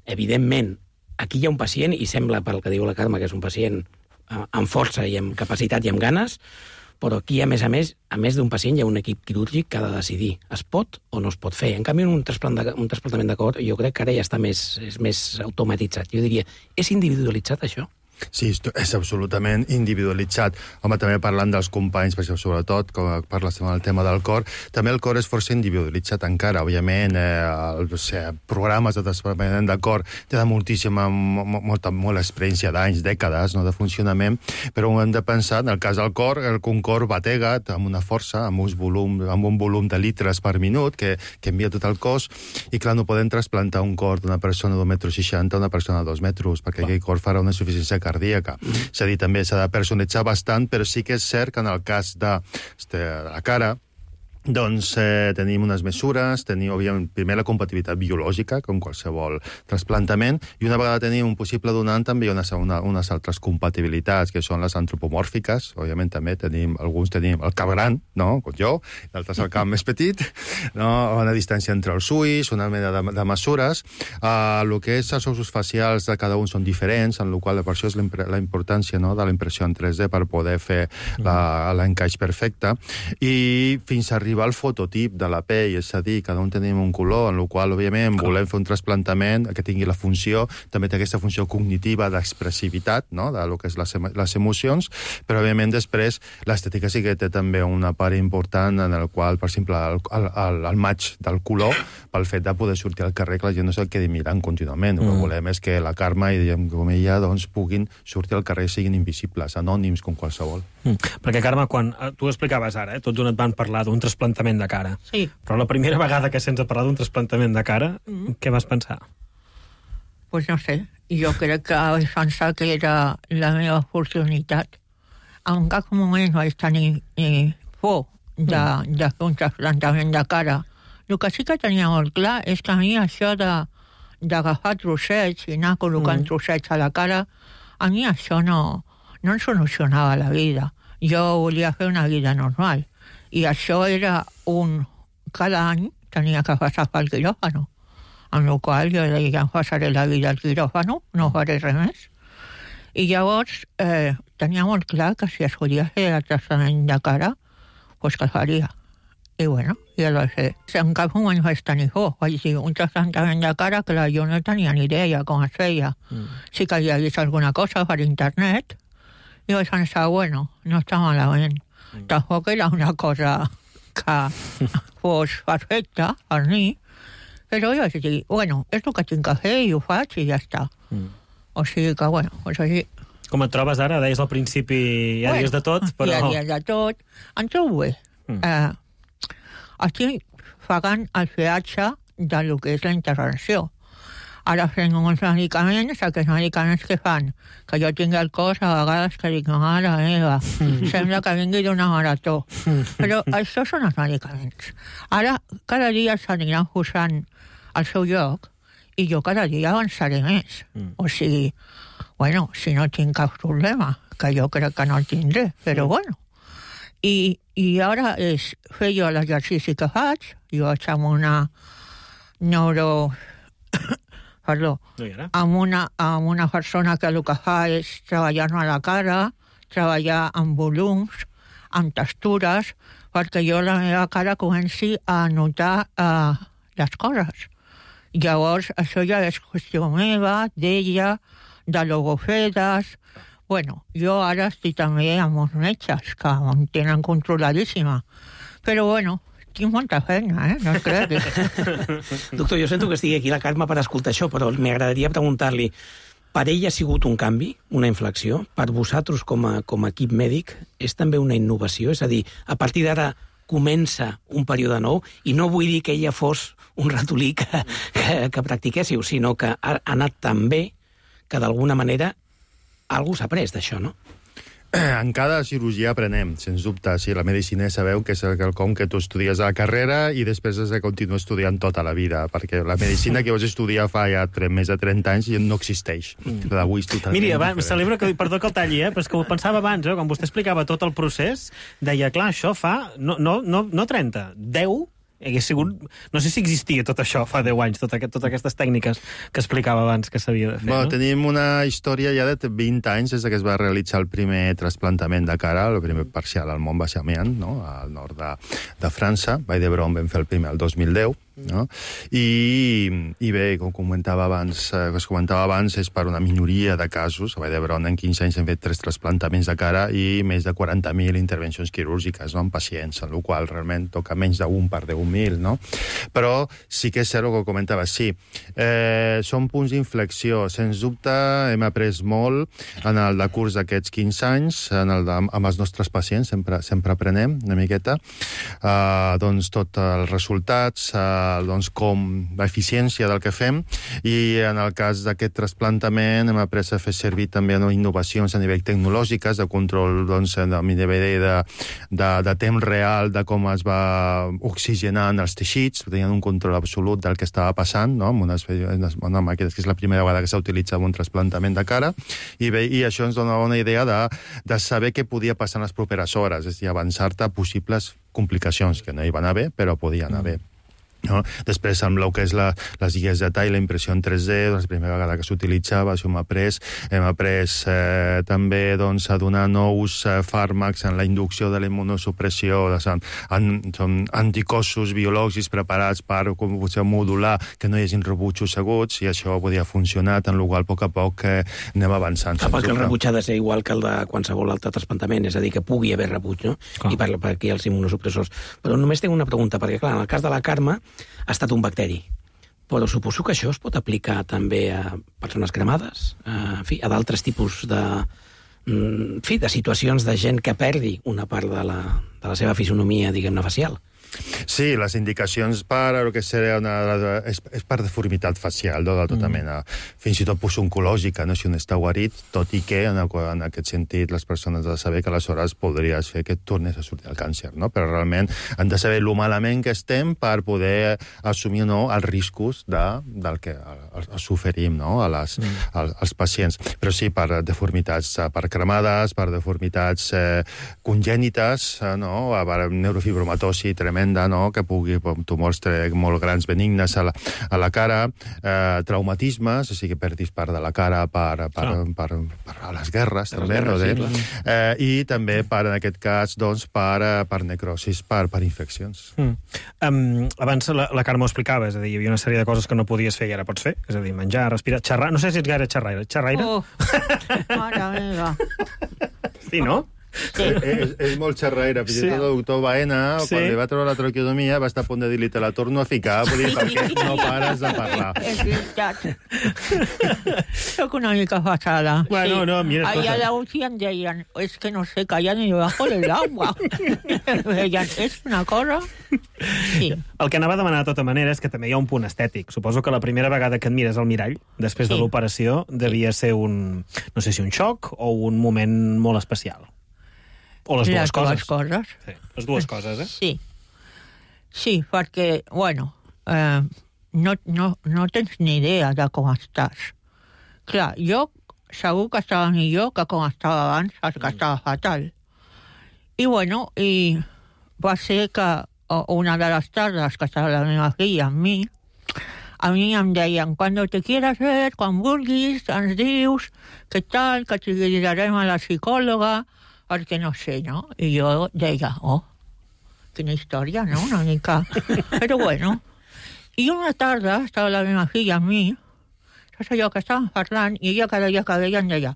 evidentment, aquí hi ha un pacient, i sembla, pel que diu la Carme, que és un pacient amb força i amb capacitat i amb ganes, però aquí, a més d'un pacient, hi ha un equip quirúrgic que ha de decidir es pot o no es pot fer. En canvi, un trasplantament de cor, jo crec que ara ja està més automatitzat. Jo diria, és individualitzat, això? Sí, és absolutament individualitzat. Home, també parlant dels companys, perquè sobretot, com parles del tema del cor, també el cor és força individualitzat encara. Òbviament, programes de trasplantament de cor tenen molta experiència d'anys, dècades, no, de funcionament, però hem de pensar, en el cas del cor, un cor batega amb una força, amb un volum de litres per minut que envia tot el cos, i clar, no podem trasplantar un cor d'una persona d'1,60 m a una persona de 2 metres, perquè aquell cor farà una insuficiència cardíaca. És a dir, també s'ha de personalitzar bastant, però sí que és cert que en el cas de la cara, doncs tenim unes mesures, tenim, òbviament, primer la compatibilitat biològica, com qualsevol trasplantament, i una vegada tenim un possible donant, també hi ha unes altres compatibilitats, que són les antropomòrfiques. Òbviament, també alguns tenim el cap gran, no?, com jo, d'altres el cap més petit, no?, una distància entre els ulls, una mena de mesures. El que és els ossos facials de cada un són diferents, en la qual per això és la importància, no?, de la impressió en 3D per poder fer l'encaix perfecte, i fins a arribar al fototip de la pell, és a dir, cada un tenim un color, en el qual, òbviament, volem fer un trasplantament que tingui la funció, també té aquesta funció cognitiva d'expressivitat, no?, de lo que és les emocions, però, òbviament, després, l'estètica sí que té també una part important en el qual, per exemple, el maig del color, pel fet de poder sortir al carrer, que la gent no se'l quedi mirant contínuament. El que volem és que la Carme i, com ella, doncs, puguin sortir al carrer i siguin invisibles, anònims, com qualsevol. Perquè, Carme, quan tu explicaves ara, tots et van parlar d'un trasplantament de cara. Sí. Però la primera vegada que sents parlar d'un trasplantament de cara, què vas pensar? Pues no sé. Jo crec que vaig pensar que era la meva oportunitat. En cap moment vaig tenir por de fer un trasplantament de cara. El que sí que tenia molt clar és que a mi això d'agafar trossets i anar col·locant trossets a la cara, a mi això no em solucionava la vida. Jo volia fer una vida normal. I això era cada any tenia que passar pel quiròfano. Amb la qual jo deia, em passaré la vida al quiròfano, no faré res més. I llavors tenia molt clar que si es volia fer el tractament de cara, doncs que faria. I bueno, ja el vaig fer. En cap moment vaig tenir por. Vaig dir, un tractament de cara, clar, jo no tenia ni idea com es feia. Sí que havia vist alguna cosa per internet, i vaig pensar, bueno, no està malament. Tampoc era una cosa que fos perfecta per mi, però jo vaig dir, bueno, és el que tinc que fer i ho faig i ja està. O sigui que, bueno, doncs així. Com et trobes ara? Deies al principi, ja dies de tot, però... Ja dies de tot. Em trobo bé. Estic pagant el peatge del que és la intervenció. Ara fem uns medicaments, aquests medicaments que fan, que jo tinc el cos a vegades que dic, mare meva, sembla que vingui d'una marató. Però això són els medicaments. Ara, cada dia s'aniran posant al seu lloc i jo cada dia avançaré més. O sigui, bueno, si no tinc cap problema, que jo crec que no el tindré, però bueno. I I ara és fer jo l'exercici que faig, jo vaig amb una amb una persona que el que fa és treballar-me a la cara, treballar amb volums, amb textures, perquè jo la meva cara comenci a notar les coses. Llavors, això ja és qüestió meva, d'ella, de logofedes. Bueno, jo ara estic també amb els metges, que em tenen controladíssima. Però, bueno, tinc molta feina, no es cregui. Doctor, jo sento que estigui aquí la Carme per escoltar això, però m'agradaria preguntar-li, per ell ha sigut un canvi, una inflexió? Per vosaltres, com a equip mèdic, és també una innovació? És a dir, a partir d'ara comença un període nou, i no vull dir que ella fos un ratolí que practiquéssiu, sinó que ha anat tan bé que d'alguna manera algú s'ha après d'això, no? En cada cirurgia aprenem, sens dubte. Sí, la medicina sabeu que és quelcom que tu estudies a la carrera i després has de continuar estudiant tota la vida, perquè la medicina que vas estudiar fa ja més de 30 anys ja no existeix. D'avui és totalment Miri, celebro que, perdó que el talli, però és que ho pensava abans, quan vostè explicava tot el procés, deia, clar, això fa, no 30, 10, hagués sigut... No sé si existia tot això fa 10 anys, totes aquestes tècniques que explicava abans que s'havia de fer, no? Tenim una història ja de 20 anys des que es va realitzar el primer trasplantament de cara, el primer parcial al Mont Baixamian, no? Al nord de França. Vall d'Hebron vam fer el primer el 2010. No? I bé, com comentava abans, és per una minoria de casos. A Vall d'Hebron en 15 anys hem fet 3 trasplantaments de cara i més de 40.000 intervencions quirúrgiques, no? En pacients, en la qual realment toca menys d'un per 10.000, no? Però sí que és cert el que comentava, sí. Són punts d'inflexió. Sens dubte hem après molt en el decurs d'aquests 15 anys, amb els nostres pacients, sempre aprenem una miqueta, doncs tots els resultats, doncs com l'eficiència del que fem, i en el cas d'aquest trasplantament hem après a fer servir també innovacions a nivell tecnològiques de control, doncs, de temps real de com es va oxigenant els teixits, tenien un control absolut del que estava passant, no? Amb una màquina, que és la primera vegada que s'ha utilitzat un trasplantament de cara, i això ens donava una idea de saber què podia passar en les properes hores, és a dir, avançar-te a possibles complicacions, que no hi van haver, però podien haver. No? Després, amb el que és les guies de tall, la impressió en 3D, doncs, la primera vegada que s'utilitzava, això hem après també doncs, a donar nous fàrmacs en la inducció de la immunosupressió, són anticossos biològics preparats per modular que no hi hagi rebutjos aguts, i això podia funcionar, en el qual a poc a poc anem avançant. Perquè el rebuig ha de ser igual que el de qualsevol altre trasplantament, és a dir, que pugui haver rebuig, no? I per aquí els immunosupressors. Però només tinc una pregunta, perquè clar, en el cas de la Carme ha estat un bacteri, però suposo que això es pot aplicar també a persones cremades, a d'altres tipus de situacions de gent que perdi una part de la seva fisonomia, diguem-ne, facial. Sí, les indicacions per el que seria és per deformitat facial, no? De tota mena. Fins i tot oncològica, no? Si un està guarit, tot i que en aquest sentit les persones han de saber que aleshores podries fer que tornés a sortir el càncer, no? Però realment han de saber lo malament que estem per poder assumir o no els riscos del que s'oferim, no? als pacients. Però sí, per deformitats, per cremades, per deformitats congènites, no? Per neurofibromatosi tremenda, no? Que pugui tumors molt grans benignes a la cara, traumatismes, o sigui, perdis part de la cara per les guerres, també, i també, en aquest cas, per necrosis, per infeccions. Abans la Carme ho explicava, és a dir, hi havia una sèrie de coses que no podies fer i ara pots fer, és a dir, menjar, respirar, xerrar. No sé si ets gaire xerraire. Mare meva. Sí, no? Sí. És molt xerraire. Fins i tot el doctor Baena, quan li va treure la traqueotomia, va estar a punt de dir-li, te la torno a ficar, perquè no pares de parlar. És veritat. Soc una mica fatal. Bueno, no, mira... Allà a la UCI em deien, és que no sé, callar ni debajo del agua. Deien, és una cosa... Sí. El que anava a demanar de tota manera és que també hi ha un punt estètic. Suposo que la primera vegada que et mires al mirall, després de l'operació, devia ser un xoc o un moment molt especial. O les dues coses. Sí, les dues coses, Sí. Sí, perquè, bueno, no tens ni idea de com estàs. Clar, jo segur que estava millor que com estava abans, que estava fatal. I, bueno, va ser que una de les tardes que estava la meva filla amb mi, a mi em deien, quan te quieras ver, quan vulguis, ens dius, què tal, que te guiarem a la psicòloga, perquè no sé, no? I jo deia, quina història, no? Una mica... Però bueno. I una tarda estava la meva filla amb mi, saps allò que estàvem parlant, i ella cada dia que veia em deia,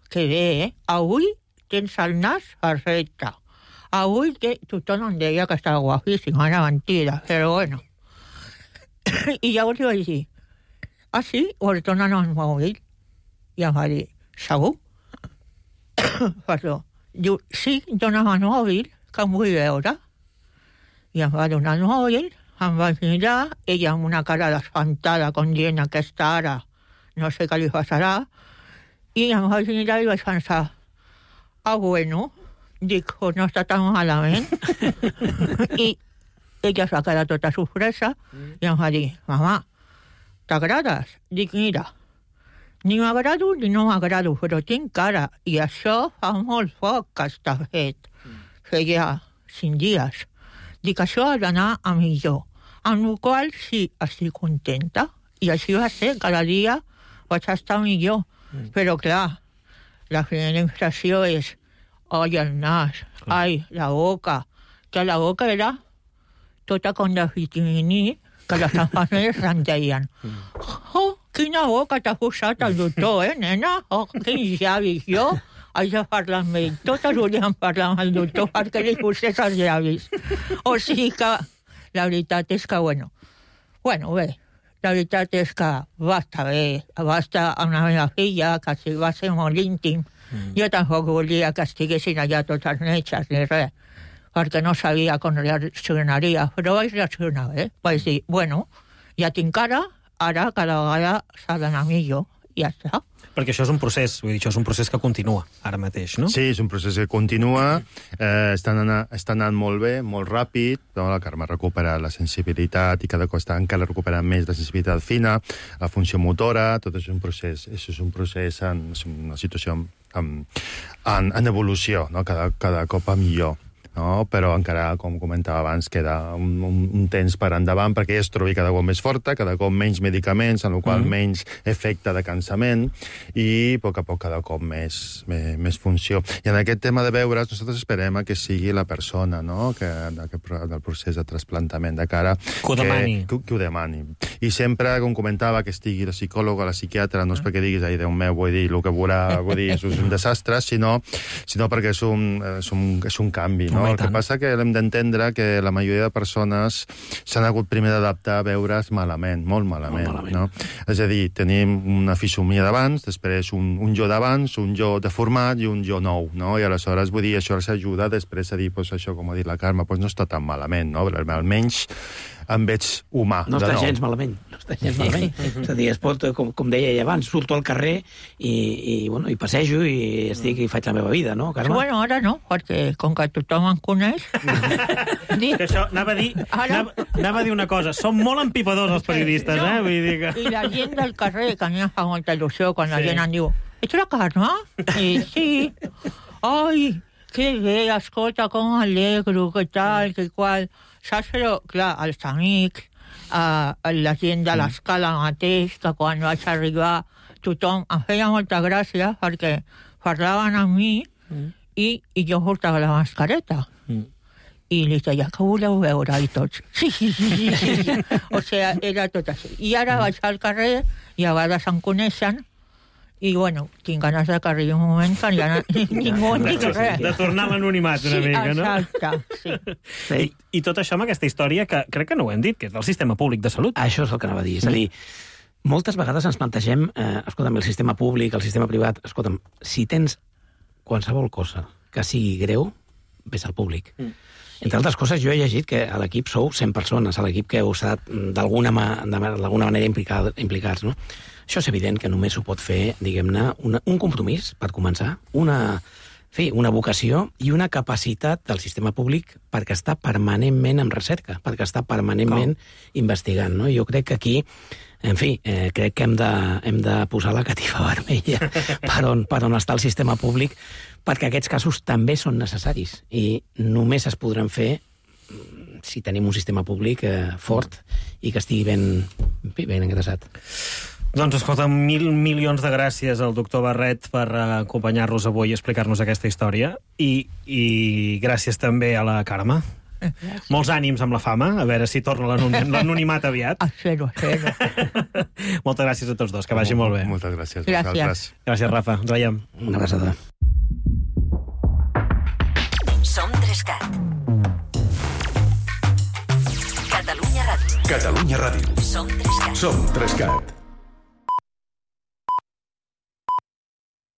que bé, avui tens el nas perfecte. Avui tothom em deia que estava guapíssima, era mentida, però bueno. I llavors li vaig dir, sí? Us donen el mòbil? I em va dir, segur? Perdó. Diu, sí, dona'm el mòbil, que em vull veure. I em va donar el mòbil, em va mirar, ella amb una cara d'espantada, com dient, aquesta ara, no sé què li passarà, i em va mirar i vaig pensar, bueno, dic, no està tan malament. I ella es va quedar tota sorpresa i em va dir, mamà, t'agrades? Dic, mira, ni m'agrado ni no m'agrado, però tinc cara, i això fa molt poc que està fet. Feia 5 dies. Dic, això ha d'anar a millor. Amb la qual sí, estic contenta. I així va ser, cada dia vaig estar millor. Però clar, la primera impressió és, el nas, la boca. Que la boca era tota com de vitaminí, que les enfermeres em deien, quina boca t'ha posat el doctor, nena? Quins llavis. Jo haig de parlar amb ell. Totes volien parlar amb el doctor perquè li posés els llavis. O sigui que la veritat és que, bueno, bé, la veritat és que va estar bé, va estar amb la meva filla, que va ser molt íntim. Jo tampoc volia que estiguessin allà tots els metges ni res, perquè no sabia com reaccionaria, però vaig reaccionar bé. Vaig dir, bueno, ja tinc cara, ara cada vegada s'ha d'anar millor, i ja està. Perquè això és un procés, vull dir, això és un procés que continua ara mateix, no? Sí, és un procés que continua, està anant molt bé, molt ràpid, no? La Carme recupera la sensibilitat i cada cop està encara recuperant més la sensibilitat fina, la funció motora, tot és un procés, és una situació en evolució, no? Cada cop a millor. No? Però encara, com comentava abans, queda un temps per endavant perquè ella es trobi cada cop més forta, cada cop menys medicaments, en el qual menys efecte de cansament i a poc cada cop més funció. I en aquest tema de veure's, nosaltres esperem que sigui la persona, no? del procés de trasplantament de cara que ho demani. I sempre, com comentava, que estigui la psicòloga, la psiquiatra, no és perquè diguis, ai, Déu meu, vull dir, el que veurà, és un desastre, sinó perquè és un canvi, no? El que passa que hem d'entendre que la majoria de persones s'han hagut primer d'adaptar a veure's malament, molt malament. No? És a dir, tenim una fisomia d'abans, després un jo d'abans, un jo deformat i un jo nou, no? I aleshores, vull dir, això s'ajuda després a dir, això, com ha dit la Carme, no està tan malament, no? Almenys em veig humà. No està gens malament. És a dir, es pot, com deia ella abans, surto al carrer i passejo i faig la meva vida, no, Carme? Bueno, ara no, perquè com que tothom em coneix... Això, anava a dir una cosa, som molt empipadors els periodistes, Vull dir que... I la gent del carrer, que a mi em fa molta il·lusió, quan la gent em diu, ets la Carme? I sí. Ai, que bé, escolta, com alegro, que tal, que qual... Saps? Però, clar, els amics, la gent de l'escala mateix, que quan vaig arribar tothom em feia molta gràcia perquè parlaven amb mi i jo portava la mascareta. I li deia, que voleu veure? I tots, sí. O sigui, era tot així. I ara vaig al carrer i a vegades em coneixen i, bueno, tinc ganes de que arribi un moment que ja ningú en dic res. De tornar a l'anonimat una mica, no? Exacte, sí. I tot això amb aquesta història, que crec que no ho hem dit, que és del sistema públic de salut. Això és el que anava a dir. És a dir, moltes vegades ens plantegem, escolta'm, el sistema públic, el sistema privat, escolta'm, si tens qualsevol cosa que sigui greu, vés al públic. Entre altres coses, jo he llegit que a l'equip sou 100 persones, a l'equip que heu estat d'alguna manera implicats, no? Això és evident que només ho pot fer, diguem-ne, un compromís, per començar, una vocació i una capacitat del sistema públic perquè està permanentment en recerca, perquè està permanentment investigant, no? Jo crec que aquí En fi, crec que hem de posar la catifa vermella per on està el sistema públic, perquè aquests casos també són necessaris i només es podran fer si tenim un sistema públic fort i que estigui ben engrasat. Doncs escolta, 1.000 milions de gràcies al doctor Barret per acompanyar-nos avui i explicar-nos aquesta història i gràcies també a la Carme. Molts ànims amb la fama, a veure si torna l'anonimat aviat. A zero. Moltes gràcies a tots dos, que vagi molt bé. Moltes gràcies. Gràcies, Rafa. Ens veiem. Una abraçada. Som 3CAT. Catalunya Ràdio. Catalunya Ràdio. Som 3CAT. Som 3CAT.